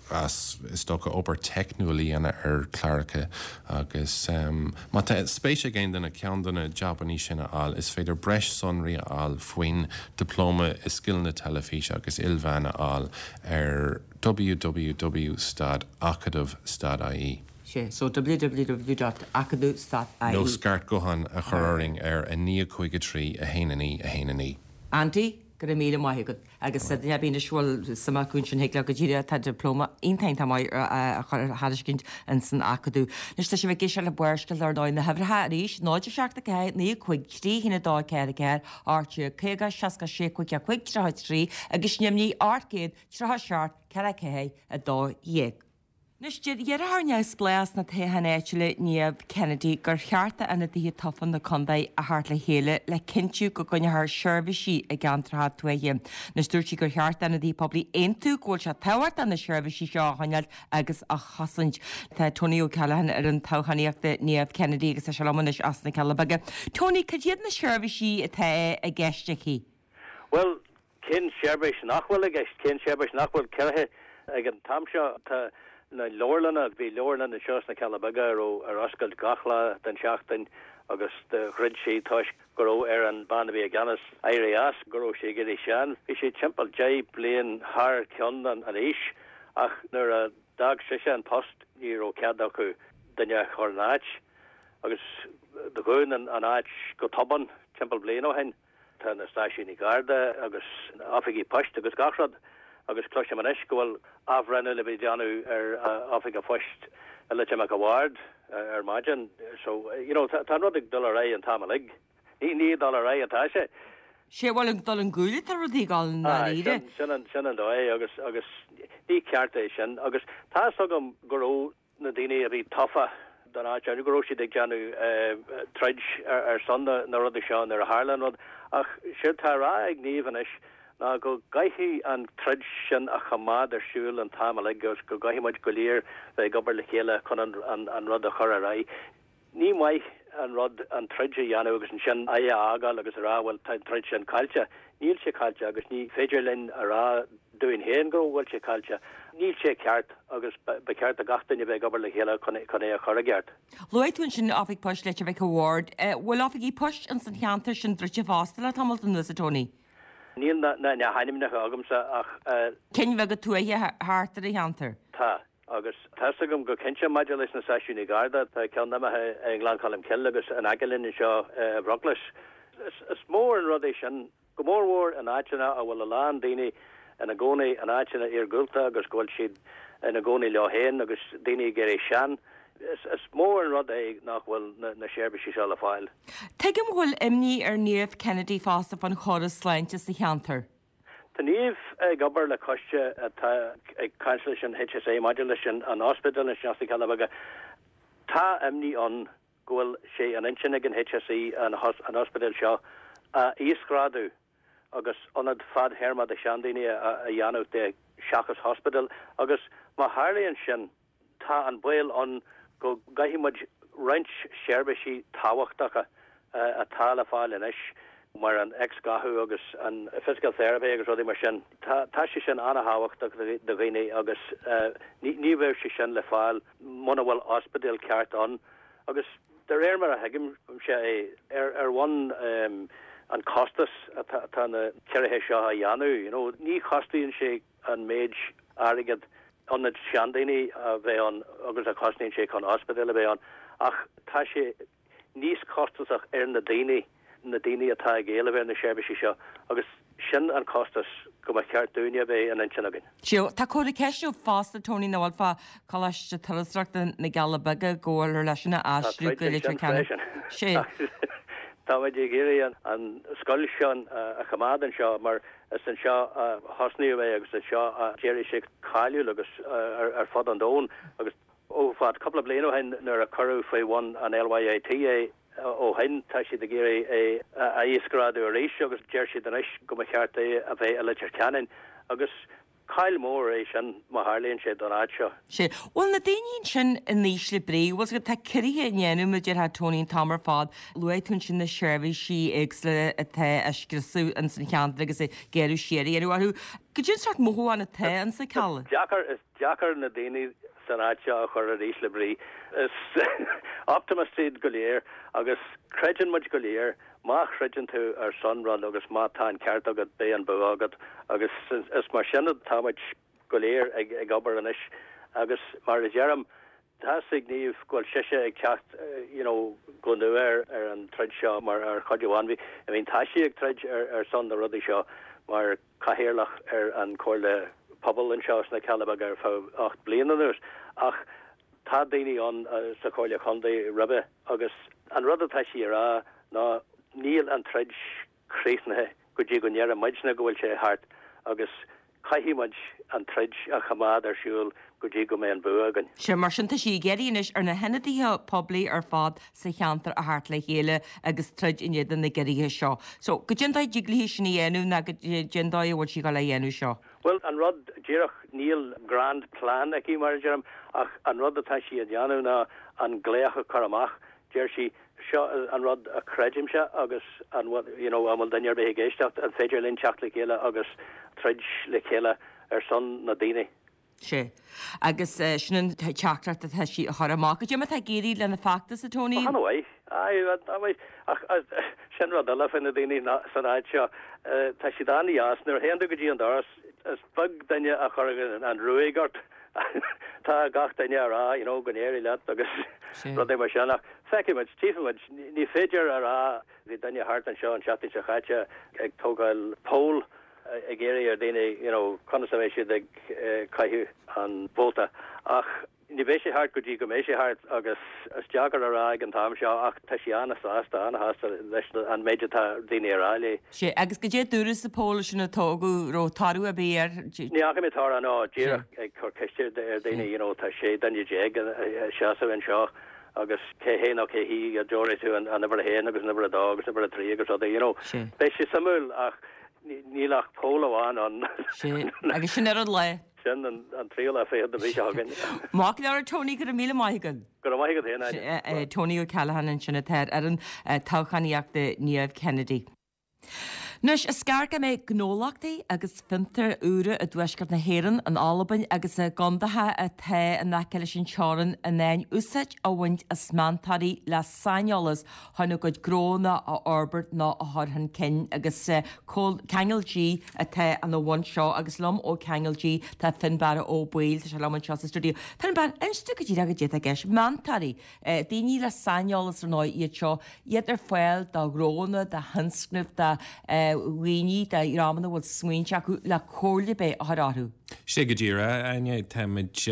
as is dócha obair teicniúil a dhéanamh ar chláracha agus má tá spéis ag aon duine ceann de na jabannaí sin a fháil is féidir breis sonraí a fháil faoin Dioplóma i Scileanna Teilifíse agus Ilmheán a fháil ar www stad acadamh stad ie. Sé, so www dot acadamh stad ie. Nó scairt gutháin a chur orainn ar a naoi a cúig a trí a haon a naoi a haon a naoi. Andy, go raibh míle maith agat. Agus duine ar bith anois a bhfuil suim acu ansin thig leo go díreach tá dioplóma iontach iontach maith á thairiscint ins an Acadamh. Anois tá sibh ag éisteacht le Barrscéalta ar ndóigh na huimhreacha arís, náid a seacht a ceathair, naoi a cúig, trí haon a dó ceathair a ceathair, ocht déag caoga, seasca sé cúig a cúig, tríocha a trí agus Nimhní ocht gcéad, tríocha a seacht, ceathair ceathair, a dó dhéag. Anois deir iarrthóir neamhspleách sna toghcháin áitiúla Niamh Kennedy gur cheart d'ionadaithe tofa na contae a theacht le chéile le cinntiú go gcoinneofar seirbhísí i gceantracha tuaithe. Anois dúirt sí gur cheart d'ionadaithe poiblí aontú go bhfuil sé tábhachtach na seirbhísí seo a choinneáil agus a chosaint. Tá Tony O'Callaghan ar an toghchánaíocht Niamh Kennedy agus tá sé liom anois as na Cealla Beaga. Tony, cad iad na seirbhísí atá i gceist aici? Bhuel, cén seirbhís nach bhfuil i gceist? Cén seirbhís nach bhfuil ciorraithe ag an t-am seo? Tá na leabharlanna, bhí leabharlann anseo sna Cealla Beaga a raibh ar oscailt gach lá den seachtain agus do dhruid sí toisc go raibh ar an bean a bhí i gceannas éirí as, go raibh sí ag éirí sean. Bhí sí timpeall deich bliain thar cionn an aois ach nuair a d'fhág sise an post ní raibh cead acu duine a chur ina áit agus do dhún an áit go tobann timpeall bliain ó shin. Tá na stáisiúin Garda agus oifigí poist agus gach rud agus cloisim anois go bhfuil athbhreithniú le bheith déanamh ar oifig an phoist i Leitir Mhic a' Bhaird ar maidin. So, you know, tá an rud ag dul ar aghaidh an t-am uilig. Ní ní ag dul ar aghaidh atá sé. Sé bhuel ag dul chun cúil atá rudaí ag dul i ndáiríre. Sin an sin an dóigh agus agus ní ceart é sin agus tá's agam go raibh na daoine a bhí tofa don áit go raibh siad ag déanamh troid ar son na rudaí seo nuair a tharla an rud ach séard tá á rá ag Niamh anois ná go gcaithfidh an troid sin a choimeád ar siúl an t-am uilig agus go gcaithfidh muid go léir bheith ag obair le chéile chun an rud a chur ar aghaidh. Ní maith an rud an troid a dhéanamh agus ansin aghaidh a fhágáil agus a rá bhuel tá an troid sin caillte. Níl sé caillte agus ní féidir linn a rá dúinn féin go bhfuil sé caillte. Níl sé ceart agus ba cheart do gach duine bheith ag obair le chéile chun é a chur i gceart. Luaigh tú ansin Oifig Poist Leitir Mhic a' Bhaird. Bhfuil oifigí poist ins an cheantar sin druidte fosta le tamall anuas, a Tony? Níl na hainmneacha agamsa ach. Cinn bheaga tuaithe thart ar an cheantar? Tá, agus tá's agam go cinnte maidir leis na stáisiúin Garda, tá ceann imithe i nGleann Cholm Cille agus in aice linn anseo i bhFruclais. Is mór an rud é sin, go mór mhór in áiteanna a bhfuil a lán daoine ina gcónaí in áiteanna iargúlta agus go bhfuil siad ina gcónaí leo féin agus daoine ag éirí sean. Is mór an rud é nach bhfuil na seirbhísí seo le fáil. Tuigim go bhfuil imní ar Niamh Kennedy fosta fán chóras sláinte sa cheantar. Tá Niamh ag obair le coiste atá ag caint leis an HSE maidir leis an ospidéal anseo sna Cealla Beaga. Tá imní ann go bhfuil sé in intinn ag an HSE an ospidéal seo a íosghrádú agus ionad fadthéarma do seandaoine a dhéanamh de seachas hospital agus má tharlaíonn sin tá an baol ann go gcaillfidh muid roinnt seirbhísí tábhachtacha atá le fáil anois mar an X-ghathú agus an physical therapy agus rudaí mar sin. Tá sé sin an-thábhachtach do dhaoine agus ní bheidh sé sin le fáil muna bhfuil ospidéal ceart ann agus de réir mar a thuigimse é ar ar bhonn an costas atá na ciorruithe seo a dhéanamh, you know, ní chostaíonn sé an méid airgead ionad seandaoine a bheith ann agus a chosnaíonn sé chun ospidéal a bheith ann ach tá sé níos costasach ar na daoine na daoine atá ag éileamh ar na seirbhísí seo agus sin an costas go mba cheart dúinne a bheith in intinn againn. Sea, tá comhartha ceiste fosta Tony nach bhfuil fá Choláiste Turasóireachta na gCealla Beaga go bhfuil leis sin a aistriú go Leitir Ceanainn. Sea. Tá muid ag iarraidh an scoil seo a choimeád anseo mar is anseo a thosnaíodh é agus anseo a d'éirigh sé cáiliúil agus ar fud an domhain agus ó fad cúpla bliain ó shin nuair a cuireadh faoi bhun an LYIT é ó shin tá siad ag iarraidh é a íosghrádú arís agus deir siad anois go mba cheart é a bheith i Leitir Ceanainn agus caill mór é sin má tharlaíonn sé don áit seo. Sea. Bhfuil na daoine ansin in ísle brí, bhfuil 's agat, tá ciorruithe á ndéanamh mar a déarfá Tony an t-am ar fad, luaigh tú ansin na seirbhísí éagsúla atá á scriosadh ins an cheantar agus ag gearradh siar a dhéanamh orthu. Goidé an sórt mothúchán atá ins na Cealla? Is deacair, is deacair na daoine san áit seo a chur ar ísle brí. Is optimists iad go léir agus creideann muid go léir má throideann tú ar son rud agus má tá an ceart agat beidh an bua agat agus is mar sin atá muid go léir ag ag obair anois agus mar a deirim tá ag Niamh go bhfuil sise ag teacht you know go nua ar ar an troid seo mar ar chuid amháin bhí I mean tá sí ag troid ar ar son na rudaí seo mar cathaoirleach ar an Comhairle Pobail anseo sna Cealla Beaga ar feadh ocht bliana anuas ach tá daoine ann sa Chomhairle Chontae roimhe agus an rud atá sí a rá ná níl an troid críochnaithe go dtí go ndeireann muidne go bhfuil sé thart agus caithfidh muid an troid a choimeád ar siúl go dtí go mbeidh an bua againn. Sea, mar sin tá sí ag iarraidh anois ar na hionadaithe poiblí ar fad sa cheantar a theacht le chéile agus troid in éadan na gciorruithe seo. So, goidé an dóigh a dtig léi sin a dhéanamh ná goidé an dóigh a bhfuil sí ag dul a dhéanamh seo. Bhuel, an rud díreach, níl grand plan aici mar a deirim ach an rud atá sí a dhéanamh ná an glaoch a chur amach. Deir sí, seo an rud a chreidimse agus an bhfuil, you know, an bhfuil duine ar bith ag éisteacht, an féidir linn teacht le chéile agus troid le chéile ar son na daoine. Sea. Agus sin an teachtaireacht atá sí a chur amach. Goidé mar atá ag éirí lena feachtas, a Tony? Ó, an-mhaith. Aye, an-mhaith. Ach sin rud eile faoi na daoine san áit seo. Tá siad an-dheas. Nuair a théann tú go dtí an doras, is beag duine a chuirfeadh an ruaig ort. Tá gach duine a rá, you know, go n-éirí leat agus rudaí mar sin. Ach feicfidh muid, tchífidh muid. Ní féidir a rá, bhí duine thart anseo an tseachtain seo chaite ag tógáil poll ag iarraidh ar daoine, you know, conas a bheidh siad ag caitheamh an vóta. Ach ní bheidh sé thart go dtí go mbeidh sé thart agus is deacair a rá ag an t-am seo ach tá sí an-sásta, an-shásta leis an méid atá daoine a rá léi. Sea, agus goidé a dúradh sa poll sin a tógadh, raibh toradh ar bith air? Ní fhaca mé toradh, no, díreach ag cur ceiste ar daoine, you know, tá sé duine déag ag seasamh anseo agus cé hé nó cé hí a dtabharfaidh tú an uimhir a haon agus an uimhir a dó agus an uimhir a trí agus rudaí, you know. Beidh sé suimiúil ach níl ach poll amháin ann. Sea, agus sin ar an lá. Sin an tríú lá fichead den mhí seo chugainn. Maith go leor Tony, go raibh míle maith agat. Go raibh maith agat féin, Áine. Tony O'Callaghan ansin atá ar fhoireann toghchánaíochta Niamh Kennedy. Anois, is gearr go mbeidh gnólachtaí agus fiontair úra i dtuaisceart na hÉireann, in Albain agus i gcontaetha atá in aice leis an teorainn in ann úsáid a bhaint as meantóirí le saineolas chun a gcuid gnónna a fhorbairt nó a chur chun cinn agus Ceangal G atá ina bhun seo agus liom ó Ceangal G tá Fionnbarra Ó Baoill, tá sé liom anseo sa stiúideo. Fionnbarra, inis dom go díreach goidé atá i gceist, meantóirí, daoine le saineolas ar ndóigh iad seo, iad ar fáil do ghnónna, do thionscnaimh, do dhaoine, do dhreamanna a bhfuil smaointe acu le comhairle ar bith a chur orthu. Sea go díreach, Áine, táimid,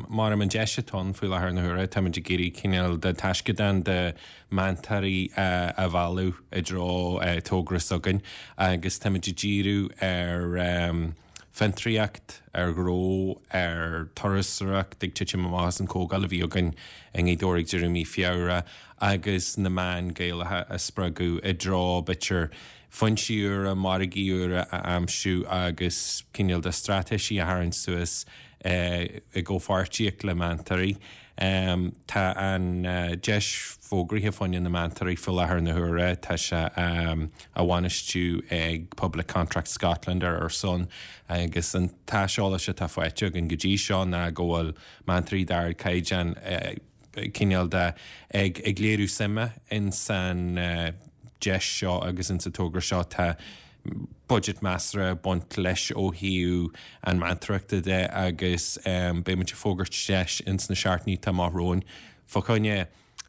mar an deis atá ann faoi láthair na huaire, táimid ag iarraidh cineál de taisceadán de meantóirí a mhealladh i dtreo togra s'againn agus táimid ag díriú ar fhiontraíocht, ar ghnó, ar turasóireacht ag titim amach as an chomhdháil a bhí againn i nGaoth Dobhair ag deireadh mí Feabhra agus na meáin Gaelacha a spreagadh i dtreo b'fhéidir foinsí úra, margaí úra a aimsiú agus cineál de straitéisí a tharraingt suas i gcomhpháirtíocht le meantóirí. Tá an deis fógraithe fá choinne na meantóirí faoi láthair na huaire, tá sé á bhainistiú ag Public Contracts Scotland ar ár son agus an t-aiseolas atá faighte againn go dtí seo ná go bhfuil meantóirí d'ardchaighdeán cineál de ag ag léiriú suime in san deis seo agus in sa togra seo. Tá budget measartha ag baint leis ó thaobh an meantóireachta de agus beidh muid ag fógairt deis ins na seachtainí atá amach romhainn fá choinne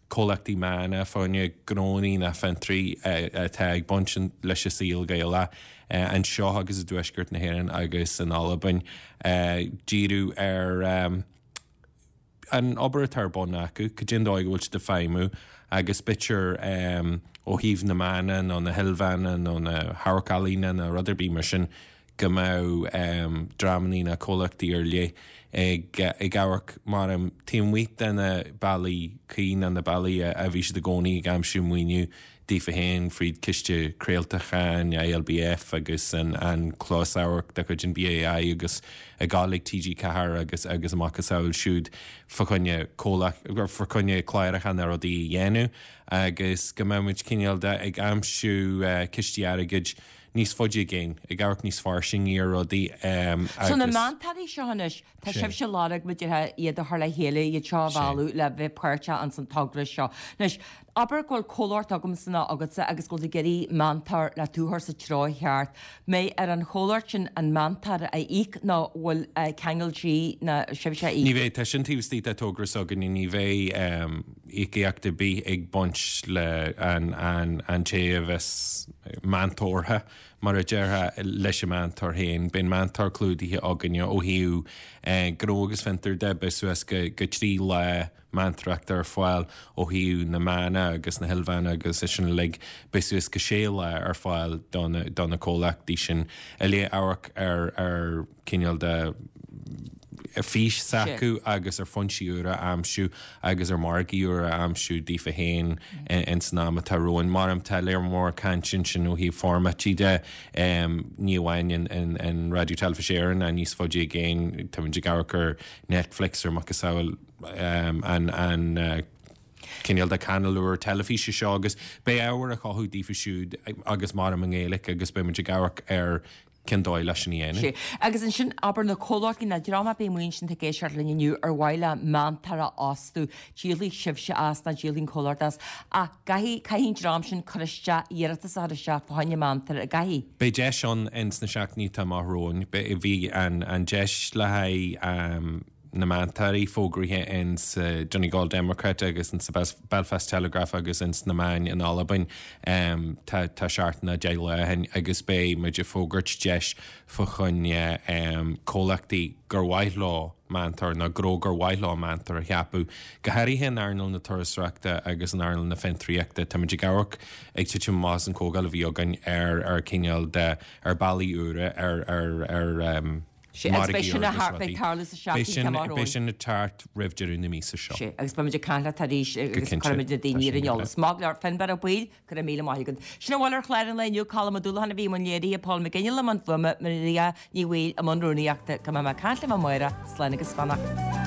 comhlachtaí meán, fá choinne gnónnaí ná fiontraí atá ag baint leis an saol Gaelach anseo agus i dTuaisceart na hÉireann agus in Albain díriú ar an obair atá ar bun acu, cad é an dóigh a bhfuil siad ag feidhmiú agus b'fhéidir ó thaobh na meán nó na hilmheán nó na hamharc-ealaíne nó rud ar bith mar sin go mbeadh dreamannaí nó comhlachtaí ar leith ag ag amharc mar taobh amuigh de na bealaí cuí nó na bealaí a bhí siad i gcónaí ag aimsiú maoiniú daofa féin fríd Ciste Craolacháin, I L B F agus an an closamhairc de chuid an B A I agus ag gabháil ag T G Ceathair agus agus a macasamhail siúd fá choinne comhlacht fá choinne cláracha nó rudaí a dhéanamh agus go mbeidh muid cineál de ag aimsiú cistí airgid níos faide i gcéin, ag amharc níos fairsinge ar rudaí So na agus. meantóirí seo anois, tá Sé. sibhse ag lorg muidithe iad a chur le chéile, iad seo a Sé. mhealladh le bheith páirteach ins an togra seo. Anois, abair go bhfuil comhlacht agamsa nó agatsa agus go bhfuil ag iarraidh meantóir le tú a chur sa treo cheart. Mbeidh ar an chomhlacht sin an meantóir a íoc nó bhfuil ceangal dlí ná sibhse a íoc? Ní bheidh, tá sin taobh istigh de togra s'againne, ní bheidh íocaíocht ar bith ag baint le an an an té a bheas meantóirthe mar a déarfá leis an meantóir féin. Beidh an meantóir clúdaithe againne ó thaobh gnó agus fiontar de, beidh suas go go trí lá meantóireachta ar fáil ó thaobh na meán agus na hilmheán agus é sin uilig, beidh suas go sé lá ar fáil do na do na comhlachtaí sin i leith amharc ar ar cineál de fís s'acu agus ar foinsí úra a aimsiú agus ar margaí úra a aimsiú daofa féin in san am atá romhainn. Mar tá léir mór caint sin ó thaobh formáidí de ní amháin in in in Raidió Teilifís Éireann ná níos faide i gcéin, táimid ag amharc ar Netflix ar macasamhail an an cineál de chainéal úr teilifíse seo agus beidh ábhar á chothú daofa siúd agus mar i nGaeilge agus beidh ag amharc ar cén dóigh leis sin a dhéanamh. Sé. Agus ansin abair na comhlachtaí na dream a bhí muin sin ag éisteacht linn inniu ar mhaith le meantóir a fhostú, díolfaidh sibhse as ná díolfaidh an comhlacht as. Ach caithfidh caithfidh an dream sin cur isteach iarratas a chur isteach fá choinne meantóir a gcaithfidh. Beidh deis ann ins na seachtainí atá amach romhainn, bhí an an deis le haghaidh um, na meantóirí fógraithe in sa Donegal Democrat agus in sa Belfast Telegraph agus in na meáin in Albain um, tá tá seachtain nó deich lá ó shin agus beidh muid ag fógairt deis fá choinne um, comhlachtaí gur mhaith leo meantóir nó gnó gur mhaith leo meantóir a cheapadh. Go háirithe in earnáil na turasóireachta agus in earnáil na fiontraíochta Tá muid ag amharc ag titim más an chomhdháil a bhí againn ar ar cineál de ar bealaí úra ar ar ar um, Sé agus beidh sin a thar- beidh tarlú sa seachtain atá amach Beidh romhainn. sin ag teacht roimh deireadh na míosa seo. Sé, agus beimid ag caint leat arís agus cinnte. cuirfimid na daoine Tá ar an sin eolas. Maith go leor Finbar Ó Baoill, go raibh míle maith agat. Sin a bhfuil ar chlár an lae inniu Colm Ó Dúlacháin a bhí i mbun léirithe Paul McGinley i mbun fuaime Maria Ní Bhaoill i mbun rúnaíochta go mbeidh mé ag caint libh amárach, slán agus beannacht.